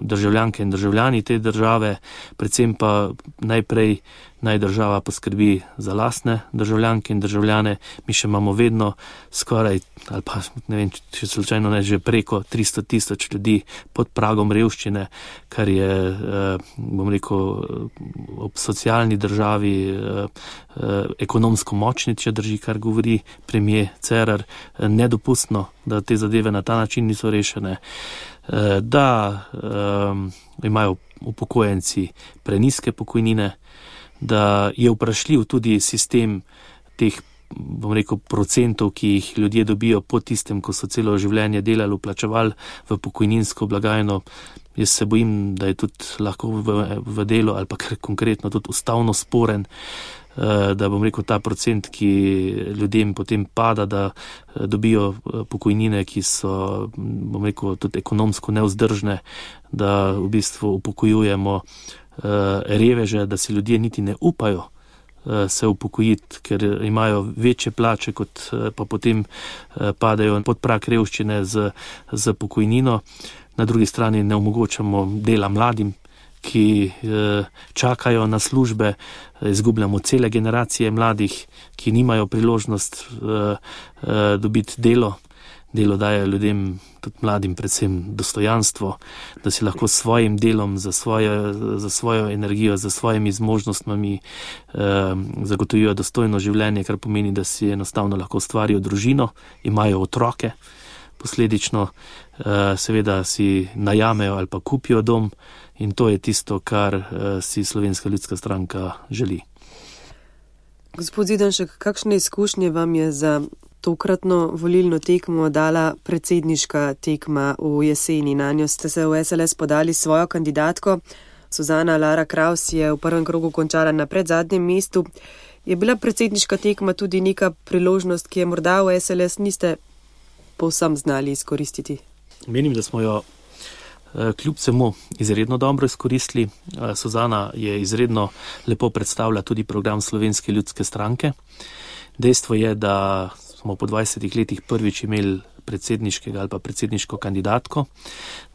državljanke in državljani te države, predvsem pa najprej naj država poskrbi za lastne državljanke in državljane. Mi še imamo vedno skoraj, ali pa ne vem, če slučajno ne, že preko tristo tisoč ljudi pod pragom revščine, kar je, bom rekel, ob socialni državi ekonomsko močni, če drži, kar govori premier Cerar, nedopustno, da te zadeve na ta način niso rešene, da um, imajo upokojenci preniske pokojnine, da je vprašljiv tudi sistem teh, bom rekel, procentov, ki jih ljudje dobijo po tistem, ko so celo življenje delali, vplačevali v pokojninsko blagajno. Jaz se bojim, da je tudi lahko v, v delu ali pa kar konkretno tudi ustavno sporen, da bom rekel, ta procent, ki ljudem potem pada, da dobijo pokojnine, ki so, bom rekel, tudi ekonomsko nevzdržne, da v bistvu upokojujemo reveže, da si ljudje niti ne upajo se upokojiti, ker imajo večje plače, kot pa potem padajo pod prag revščine z, z pokojnino. Na drugi strani ne omogočamo dela mladim, ki čakajo na službe, izgubljamo cele generacije mladih, ki nimajo priložnost dobiti delo. Delo daje ljudem, tudi mladim, predvsem dostojanstvo, da si lahko s svojim delom, za svojo, za svojo energijo, za svojimi zmožnostmi eh, zagotovijo dostojno življenje, kar pomeni, da si enostavno lahko stvarijo družino, imajo otroke, posledično eh, seveda si najamejo ali pa kupijo dom, in to je tisto, kar eh, si Slovenska ljudska stranka želi. Gospod Zidanšek, kakšne izkušnje vam je za tokratno volilno tekmo dala predsedniška tekma v jeseni? Nanjo ste se v S L S podali svojo kandidatko. Suzana Lara Kraus je v prvem krogu končala na predzadnjem mestu. Je bila predsedniška tekma tudi neka priložnost, ki je morda v S L S niste povsem znali izkoristiti? Menim, da smo jo kljub vsemu izredno dobro izkoristili. Suzana je izredno lepo predstavila tudi program Slovenske ljudske stranke. Dejstvo je, da smo po dvajsetih letih prvič imeli predsedniškega ali pa predsedniško kandidatko,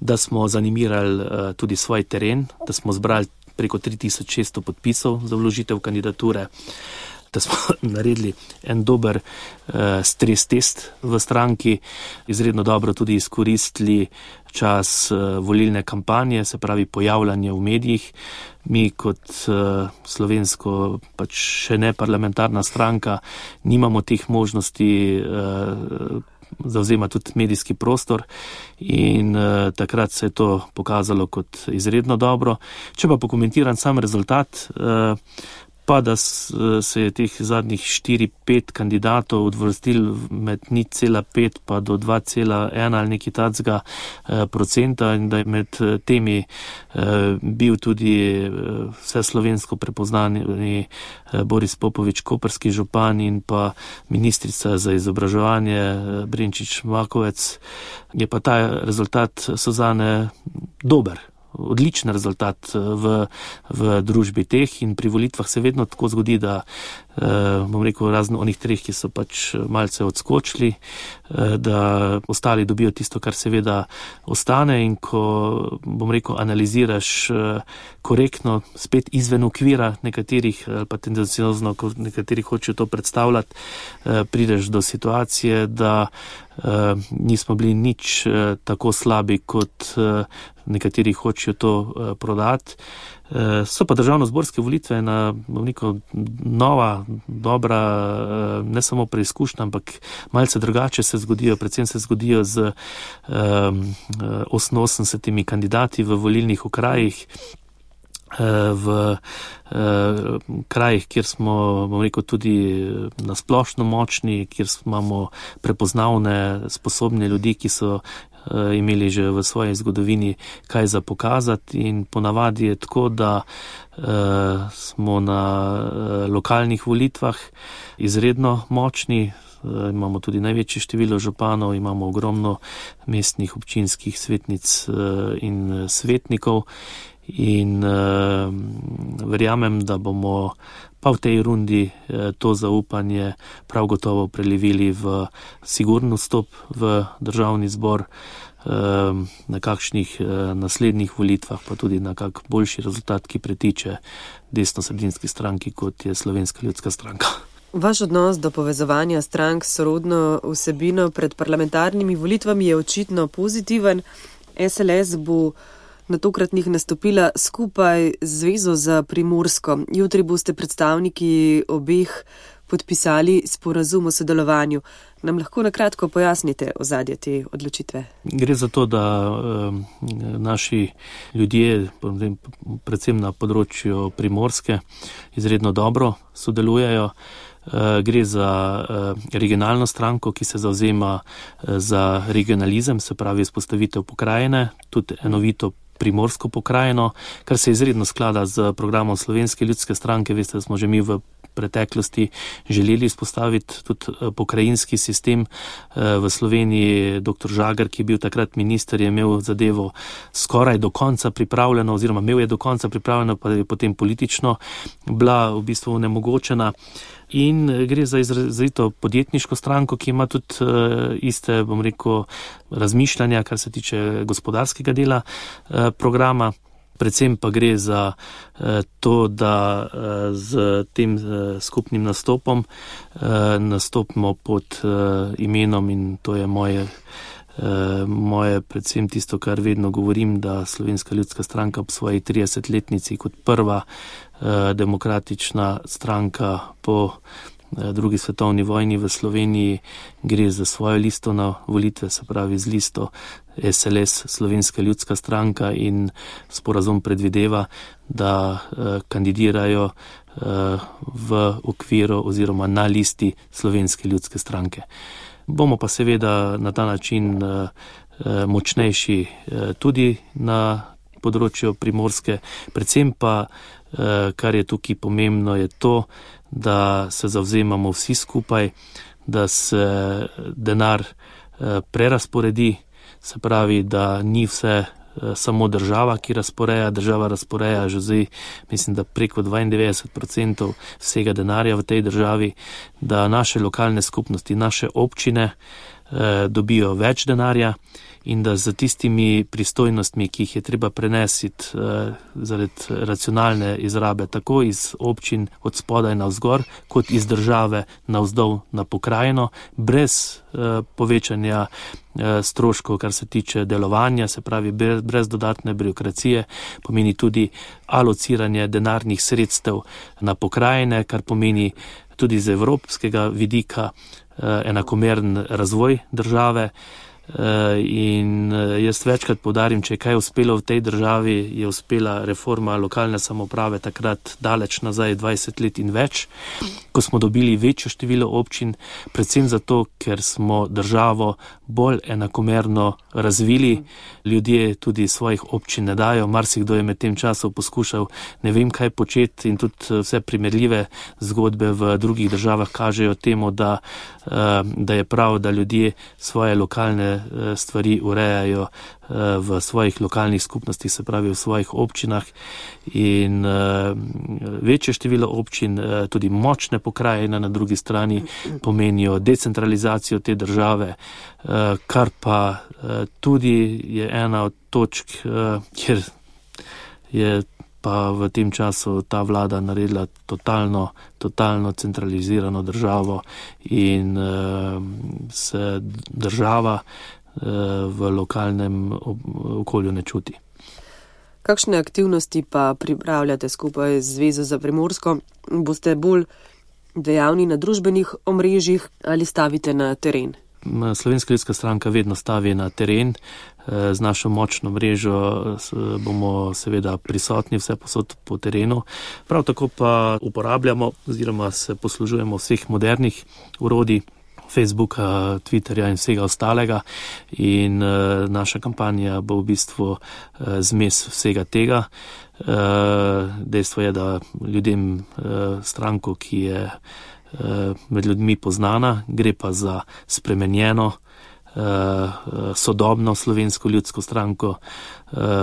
da smo zanimirali tudi svoj teren, da smo zbrali preko tri tisoč šeststo podpisov za vložitev kandidature, da smo naredili en dober uh, stres test v stranki, izredno dobro tudi izkoristili čas uh, volilne kampanje, se pravi pojavljanje v medijih. Mi kot uh, slovensko pač še ne parlamentarna stranka nimamo teh možnosti uh, zavzema tudi medijski prostor in uh, takrat se je to pokazalo kot izredno dobro. Če pa pokomentiram sam rezultat, uh, pa da se je teh zadnjih štiri pet kandidatov odvrstil med nič cela pet pa do dva cela ena ali nekaj takega procenta in da je med temi bil tudi vse slovensko prepoznani Boris Popovič, koprski župan in pa ministrica za izobraževanje Brenčič Makovec, je pa ta rezultat Suzane dober. Odličen rezultat v, v družbi teh in pri volitvah se vedno tako zgodi, da eh, bom rekel razno onih treh, ki so pač malce odskočili, eh, da ostali dobijo tisto, kar seveda ostane in ko, bom rekel, analiziraš eh, korektno, spet izven okvira nekaterih, ali pa tendenciozno, ko nekateri hočejo to predstavljati, eh, prideš do situacije, da eh, nismo bili nič eh, tako slabi, kot eh, nekateri hočejo to uh, prodati. Uh, so pa državno-zborske volitve ena veliko nova, dobra, uh, ne samo preizkušnja, ampak malce drugače se zgodijo, predvsem se zgodijo z um, oseminosemdesetimi kandidati v volilnih okrajih, v uh, krajih, kjer smo, bom rekel, tudi nasplošno močni, kjer imamo prepoznavne, sposobne ljudi, ki so uh, imeli že v svoji zgodovini kaj za pokazati in ponavadi je tako, da uh, smo na uh, lokalnih volitvah izredno močni. Uh, imamo tudi največje število županov, imamo ogromno mestnih občinskih svetnic uh, in svetnikov. In uh, verjamem, da bomo pa v tej rundi uh, to zaupanje prav gotovo prelevili v sigurno vstop v državni zbor, uh, na kakšnih uh, naslednjih volitvah, pa tudi na kak boljši rezultat, ki pretiče desno-sredinski stranki, kot je Slovenska ljudska stranka. Vaš odnos do povezovanja strank s sorodno vsebino pred parlamentarnimi volitvami je očitno pozitiven. S L S bo na tokratnih nastopila skupaj z Zvezo za Primorsko. Jutri boste predstavniki obeh podpisali sporazum o sodelovanju. Nam lahko nakratko pojasnite ozadje te odločitve? Gre za to, da eh, naši ljudje, predvsem na področju Primorske, izredno dobro sodelujejo. Uh, gre za uh, regionalno stranko, ki se zavzema uh, za regionalizem, se pravi izpostavitev pokrajine, tudi enovito primorsko pokrajino, kar se izredno sklada z programom Slovenske ljudske stranke. Veste, da smo že mi v preteklosti želeli izpostaviti tudi pokrajinski sistem. V Sloveniji doktor Žagar, ki je bil takrat minister, je imel zadevo skoraj do konca pripravljeno, oziroma imel je do konca pripravljeno, pa je potem politično bila v bistvu onemogočena. In gre za izrazito podjetniško stranko, ki ima tudi uh, iste, bom rekel, razmišljanja, kar se tiče gospodarskega dela uh, programa. Predvsem pa gre za uh, to, da uh, z tem uh, skupnim nastopom uh, nastopimo pod uh, imenom, in to je moje, uh, moje predvsem tisto, kar vedno govorim, da Slovenska ljudska stranka ob svoji tridesetletnici kot prva demokratična stranka po drugi svetovni vojni v Sloveniji, gre za svojo listo na volitve, se pravi z listo S L S, Slovenska ljudska stranka, in sporazum predvideva, da kandidirajo v okviru oziroma na listi Slovenske ljudske stranke. Bomo pa seveda na ta način močnejši tudi na področju Primorske, predvsem pa, kar je tukaj pomembno, je to, da se zavzemamo vsi skupaj, da se denar prerasporedi, se pravi, da ni vse samo država, ki razporeja, država razporeja že zdaj, mislim, da preko dvaindevetdeset procentov vsega denarja v tej državi, da naše lokalne skupnosti, naše občine eh, dobijo več denarja in da z tistimi pristojnostmi, ki jih je treba prenesiti eh, zaradi racionalne izrabe, tako iz občin od spodaj na vzgor, kot iz države na vzdolj na pokrajino, brez eh, povečanja eh, stroškov, kar se tiče delovanja, se pravi brez, brez dodatne birokracije, pomeni tudi alociranje denarnih sredstev na pokrajine, kar pomeni tudi z evropskega vidika eh, enakomeren razvoj države. In jaz večkrat poudarim, če je kaj uspelo v tej državi, je uspela reforma lokalne samouprave takrat daleč nazaj, dvajset let in več, ko smo dobili večjo število občin, predvsem zato, ker smo državo bolj enakomerno razvili, ljudje tudi svojih občin ne dajo, marsikdo je med tem časom poskušal ne vem kaj početi in tudi vse primerljive zgodbe v drugih državah kažejo temu, da, da je prav, da ljudje svoje lokalne stvari urejajo v svojih lokalnih skupnostih, se pravi v svojih občinah, in večje število občin, tudi močne pokrajine na drugi strani pomenijo decentralizacijo te države, kar pa tudi je ena od točk, kjer je pa v tem času ta vlada naredila totalno, totalno centralizirano državo in uh, se država uh, v lokalnem okolju ne čuti. Kakšne aktivnosti pa pripravljate skupaj z Zvezo za Primorsko? Boste bolj dejavni na družbenih omrežjih ali stavite na teren? Slovenska ljudska stranka vedno stavi na teren. Z našo močno mrežo bomo seveda prisotni vse posod po terenu. Prav tako pa uporabljamo oziroma se poslužujemo vseh modernih orodij, Facebooka, Twitterja in vsega ostalega, in naša kampanja bo v bistvu zmes vsega tega. Dejstvo je, da ljudem stranko, ki je med ljudmi poznana, gre pa za spremenjeno, sodobno Slovensko ljudsko stranko.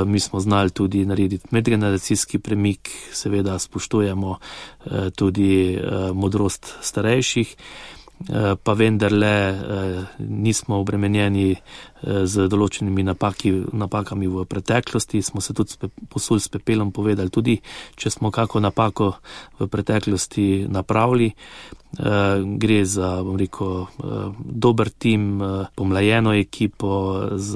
Mi smo znali tudi narediti medgeneracijski premik, seveda spoštujemo tudi modrost starejših, pa vendarle nismo obremenjeni z določenimi napaki, napakami v preteklosti. Smo se tudi posuli s pepelom povedali, tudi če smo kako napako v preteklosti napravili. Gre za, bom rekel, dober tim, pomlajeno ekipo z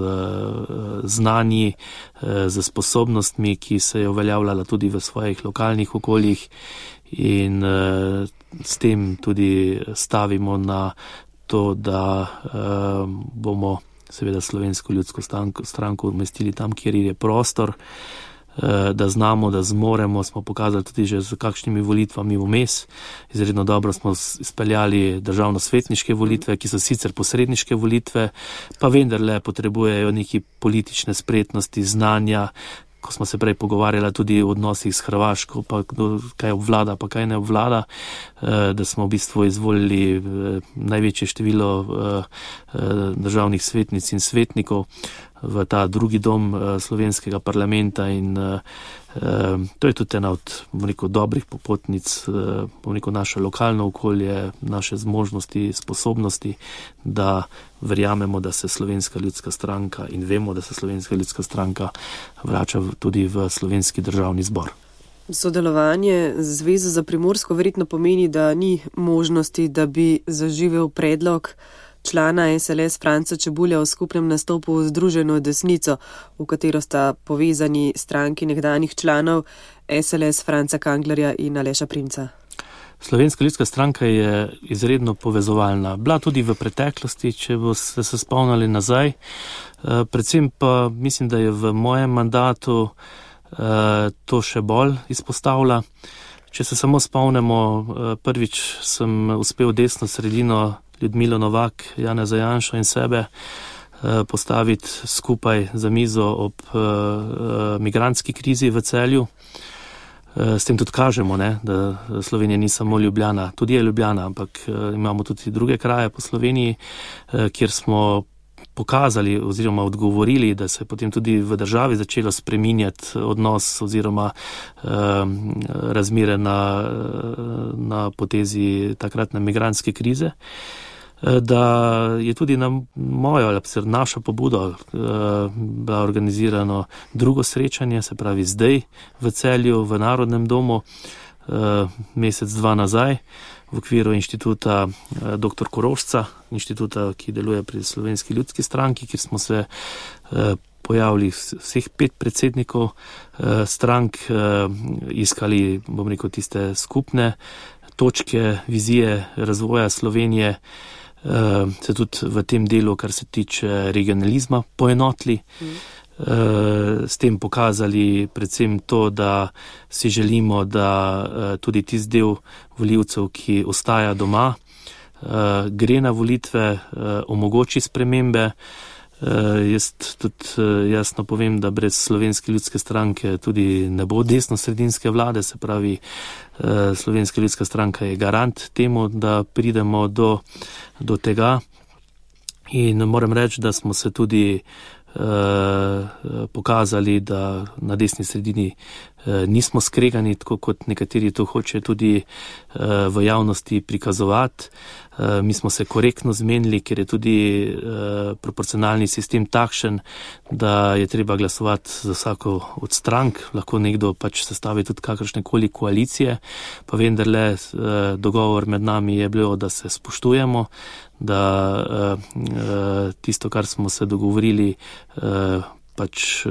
znanji, z sposobnostmi, ki se je uveljavljala tudi v svojih lokalnih okoljih, in s tem tudi stavimo na to, da bomo seveda Slovensko ljudsko stranko umestili tam, kjer je prostor, da znamo, da zmoremo, smo pokazali tudi že z kakšnimi volitvami vmes. Izredno dobro smo izpeljali državno-svetniške volitve, ki so sicer posredniške volitve, pa vendarle potrebujejo neki politične spretnosti, znanja. Ko smo se prej pogovarjali tudi o odnosih s Hrvaško, pa kdo kaj obvlada, pa kaj ne obvlada, da smo v bistvu izvolili največje število državnih svetnic in svetnikov v ta drugi dom slovenskega parlamenta, in to je tudi ena od, bom rekel, dobrih popotnic, bom rekel, naše lokalno okolje, naše zmožnosti, sposobnosti, da verjamemo, da se Slovenska ljudska stranka, in vemo, da se Slovenska ljudska stranka vrača tudi v Slovenski državni zbor. Sodelovanje z Zvezo za Primorsko verjetno pomeni, da ni možnosti, da bi zaživel predlog člana S L S Franca Čebulja o skupnem nastopu v Združeno desnico, v katero sta povezani stranki nekdanjih članov S L S Franca Kanglerja in Aleša Primca. Slovenska ljudska stranka je izredno povezovalna. Bila tudi v preteklosti, če boste se spomnili nazaj. Predvsem pa mislim, da je v mojem mandatu to še bolj izpostavlja. Če se samo spomnimo, prvič sem uspel desno sredino Ljudmilo Novak, Janeza Janšo in sebe postaviti skupaj za mizo ob migrantski krizi v Celju. S tem tudi kažemo, ne, da Slovenija ni samo Ljubljana, tudi je Ljubljana, ampak imamo tudi druge kraje po Sloveniji, kjer smo pokazali oziroma odgovorili, da se je potem tudi v državi začelo spreminjati odnos oziroma eh, razmere na, na potezi takratne migrantske krize, eh, da je tudi na mojo ali našo pobudo eh, bilo organizirano drugo srečanje, se pravi zdaj v Celju, v Narodnem domu, eh, mesec, dva nazaj, v okviru inštituta doktor Korošca, inštituta, ki deluje pri Slovenski ljudski stranki, kjer smo se pojavili vseh pet predsednikov strank, iskali, bom rekel, tiste skupne točke, vizije razvoja Slovenije, se tudi v tem delu, kar se tiče regionalizma, poenotili. Mm. S tem pokazali predvsem to, da si želimo, da tudi tisti del volivcev, ki ostaja doma, gre na volitve, omogoči spremembe. Jaz tudi jasno povem, da brez Slovenske ljudske stranke tudi ne bo desno-sredinske vlade, se pravi, Slovenska ljudska stranka je garant temu, da pridemo do, do tega. In moram reči, da smo se tudi pokazali, da na desni sredini nismo skregani, tako kot nekateri to hočejo tudi v javnosti prikazovati. Mi smo se korektno zmenili, ker je tudi proporcionalni sistem takšen, da je treba glasovati za vsako od strank. Lahko nekdo pač sestavi tudi kakršnekoli koalicije, pa vendarle dogovor med nami je bilo, da se spoštujemo, da tisto, kar smo se dogovorili, pač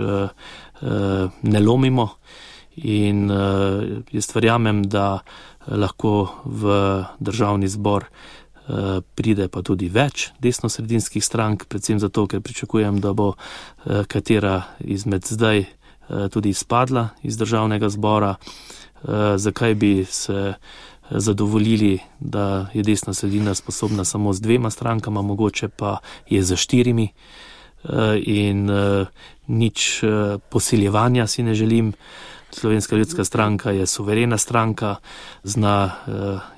ne lomimo. In jaz verjamem, da lahko v državni zbor pride pa tudi več desnosredinskih strank, predvsem zato, ker pričakujem, da bo katera izmed zdaj tudi izpadla iz državnega zbora. Zakaj bi se zadovoljili, da je desna sredina sposobna samo z dvema strankama, mogoče pa je za štirimi, in nič posiljevanja si ne želim. Slovenska ljudska stranka je suverena stranka, zna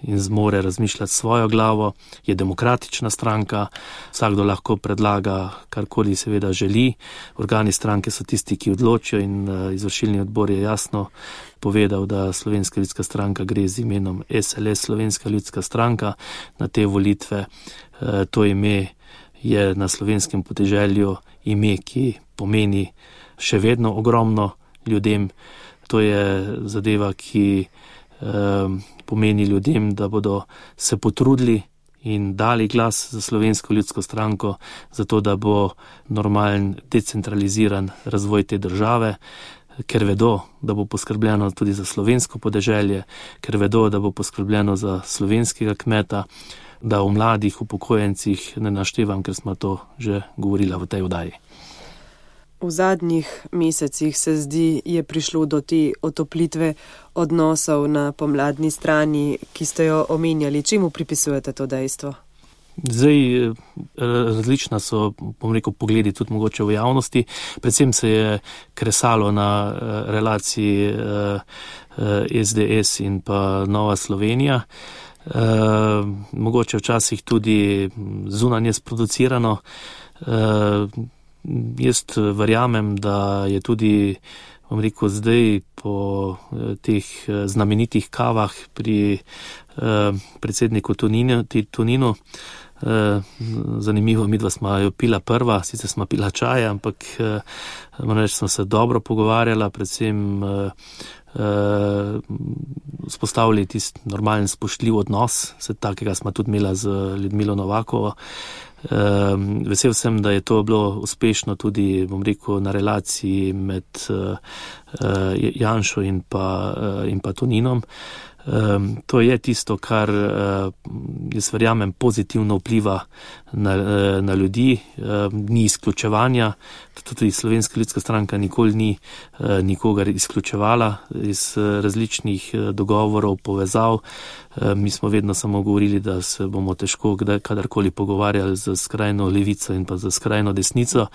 in zmore razmišljati svojo glavo, je demokratična stranka, vsakdo lahko predlaga karkoli seveda želi. Organi stranke so tisti, ki odločijo, in izvršilni odbor je jasno povedal, da Slovenska ljudska stranka gre z imenom S L S, Slovenska ljudska stranka, na te volitve. To ime je na slovenskem podeželju ime, ki pomeni še vedno ogromno ljudem. To je zadeva, ki eh, pomeni ljudem, da bodo se potrudili in dali glas za Slovensko ljudsko stranko, zato da bo normalen, decentraliziran razvoj te države, ker vedo, da bo poskrbljeno tudi za slovensko podeželje, ker vedo, da bo poskrbljeno za slovenskega kmeta, da o mladih upokojencih ne naštevam, ker smo to že govorila v tej oddaji. V zadnjih mesecih se zdi, je prišlo do te otoplitve odnosov na pomladni strani, ki ste jo omenjali. Čemu pripisujete to dejstvo? Zdaj, različna so, bom rekel, pogledi tudi mogoče v javnosti. Predvsem se je kresalo na relaciji S D S in pa Nova Slovenija. Mogoče včasih tudi zunanje sproducirano. Jaz verjamem, da je tudi, bom rekel, zdaj po teh znamenitih kavah pri predsedniku Toninu, zanimivo, midva smo jo pila prva, sicer smo pila čaja, ampak moram reči, smo se dobro pogovarjala, predvsem spostavili tisti normalen spoštljiv odnos, se takega smo tudi imela z Ljudmilo Novakovo. Uh, vesel sem, da je to bilo uspešno tudi, bom rekel, na relaciji med uh, Janšo in pa, uh, in pa Toninom. Um, to je tisto, kar uh, jaz verjamem pozitivno vpliva na, uh, na ljudi, uh, ni izključevanja, tudi Slovenska ljudska stranka nikoli ni uh, nikogar izključevala iz uh, različnih uh, dogovorov, povezav. Uh, mi smo vedno samo govorili, da se bomo težko kdaj, kadarkoli pogovarjali z skrajno levico in pa z skrajno desnico.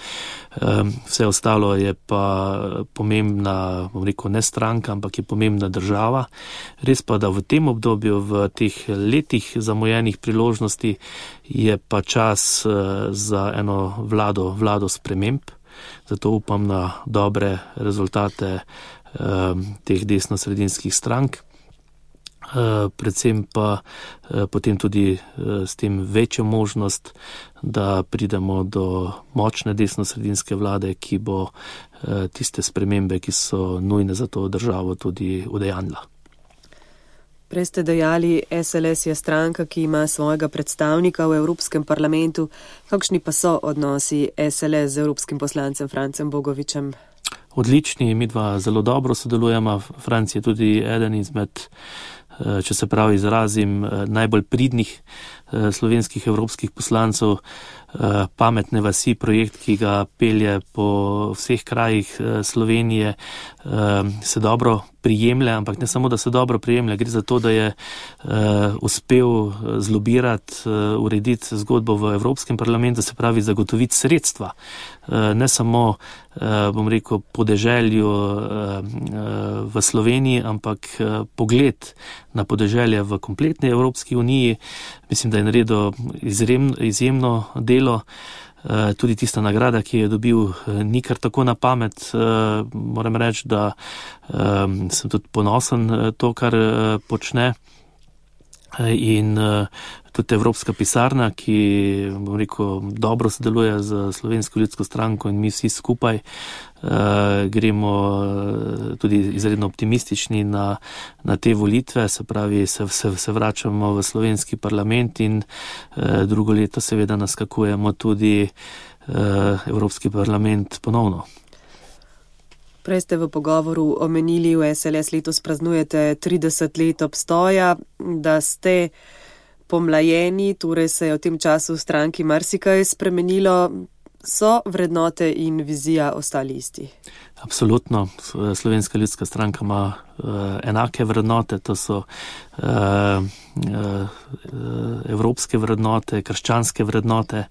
Um, vse ostalo je pa pomembna, bom rekel, ne stranka, ampak je pomembna država. Res pa, da v tem obdobju, v teh letih zamujenih priložnosti je pa čas za eno vlado, vlado sprememb. Zato upam na dobre rezultate teh desno-sredinskih strank. Predvsem pa potem tudi s tem večjo možnost, da pridemo do močne desno-sredinske vlade, ki bo tiste spremembe, ki so nujne za to državo, tudi udejanjila. Prej ste dejali, S L S je stranka, ki ima svojega predstavnika v Evropskem parlamentu. Kakšni pa so odnosi S L S z evropskim poslancem Francem Bogovičem? Odlični, mi dva zelo dobro sodelujemo. Franc je tudi eden izmed, če se pravi izrazim, najbolj pridnih slovenskih evropskih poslancev. Pametne vasi, projekt, ki ga pelje po vseh krajih Slovenije, se dobro prijemlja, ampak ne samo, da se dobro prijemlja, gre za to, da je uspel zlobirati, urediti zgodbo v Evropskem parlamentu, se pravi zagotoviti sredstva, ne samo, bom rekel, podeželju v Sloveniji, ampak pogled na podeželje v kompletni Evropski uniji. Mislim, da je naredil izjemno, izjemno delo. Tudi tista nagrada, ki je dobil, ni kar tako na pamet. Moram reči, da sem tudi ponosen to, kar počne. In tudi Evropska pisarna, ki, bom rekel, dobro sodeluje z Slovensko ljudsko stranko in mi vsi skupaj gremo tudi izredno optimistični na, na te volitve, se pravi, se, se, se vračamo v slovenski parlament in drugo leto seveda naskakujemo tudi Evropski parlament ponovno. Prej ste v pogovoru omenili, v S L S letos praznujete trideset let obstoja, da ste pomlajeni, torej se je v tem času v stranki marsikaj spremenilo. So vrednote in vizija ostali isti? Absolutno. Slovenska ljudska stranka ima uh, enake vrednote, to so uh, uh, evropske vrednote, krščanske vrednote.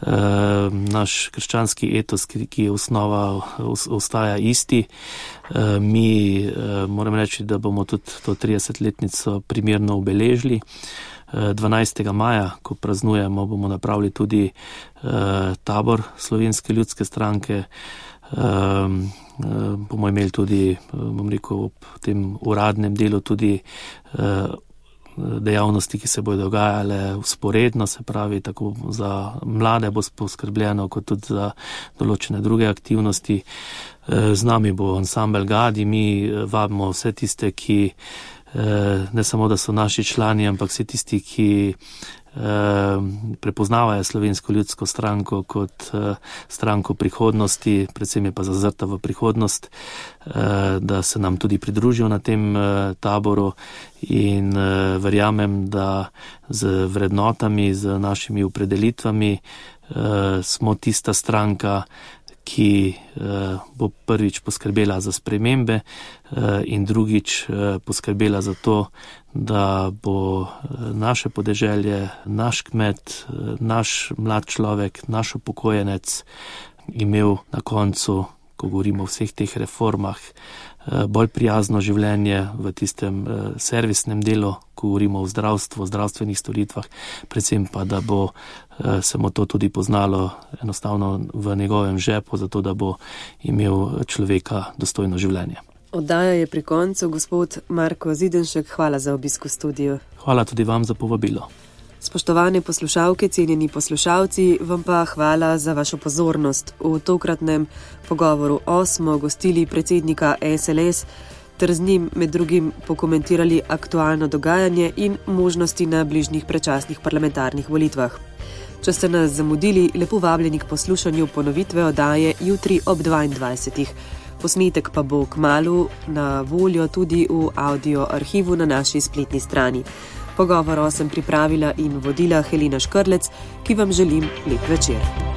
Uh, naš krščanski etos, ki, ki je osnova, ostaja isti. Uh, mi uh, moram reči, da bomo tudi to tridesetletnico primerno obeležili. dvanajstega maja, ko praznujemo, bomo napravili tudi uh, tabor Slovenske ljudske stranke. Um, uh, bomo imeli tudi, bom rekel, ob tem uradnem delu tudi uh, dejavnosti, ki se bodo dogajale vzporedno, se pravi, tako za mlade bo poskrbljeno, kot tudi za določene druge aktivnosti. Uh, z nami bo ansambel Gadi, mi vabimo vse tiste, ki ne samo, da so naši člani, ampak vsi tisti, ki prepoznavajo Slovensko ljudsko stranko kot stranko prihodnosti, predvsem je pa zazrta v prihodnost, da se nam tudi pridružijo na tem taboru in verjamem, da z vrednotami, z našimi opredelitvami smo tista stranka, ki uh, bo prvič poskrbela za spremembe uh, in drugič uh, poskrbela za to, da bo uh, naše podeželje, naš kmet, uh, naš mlad človek, naš upokojenec imel na koncu, ko govorimo o vseh teh reformah, uh, bolj prijazno življenje v tistem uh, servisnem delu, ko govorimo o zdravstvu, o zdravstvenih storitvah, predvsem pa, da bo se mu to tudi poznalo enostavno v njegovem žepu, zato da bo imel človeka dostojno življenje. Oddaja je pri koncu. Gospod Marko Zidenšek, hvala za obisk v studiu. Hvala tudi vam za povabilo. Spoštovane poslušalke, cenjeni poslušalci, vam pa hvala za vašo pozornost. V tokratnem pogovoru o smo gostili predsednika S L S ter z njim med drugim pokomentirali aktualno dogajanje in možnosti na bližnjih predčasnih parlamentarnih volitvah. Če ste nas zamudili, lepo vabljeni k poslušanju ponovitve oddaje jutri ob dvaindvajsetih. posnetek pa bo kmalu na voljo tudi v audio arhivu na naši spletni strani. Pogovor sem pripravila in vodila Helena Škrlec, ki vam želim lep večer.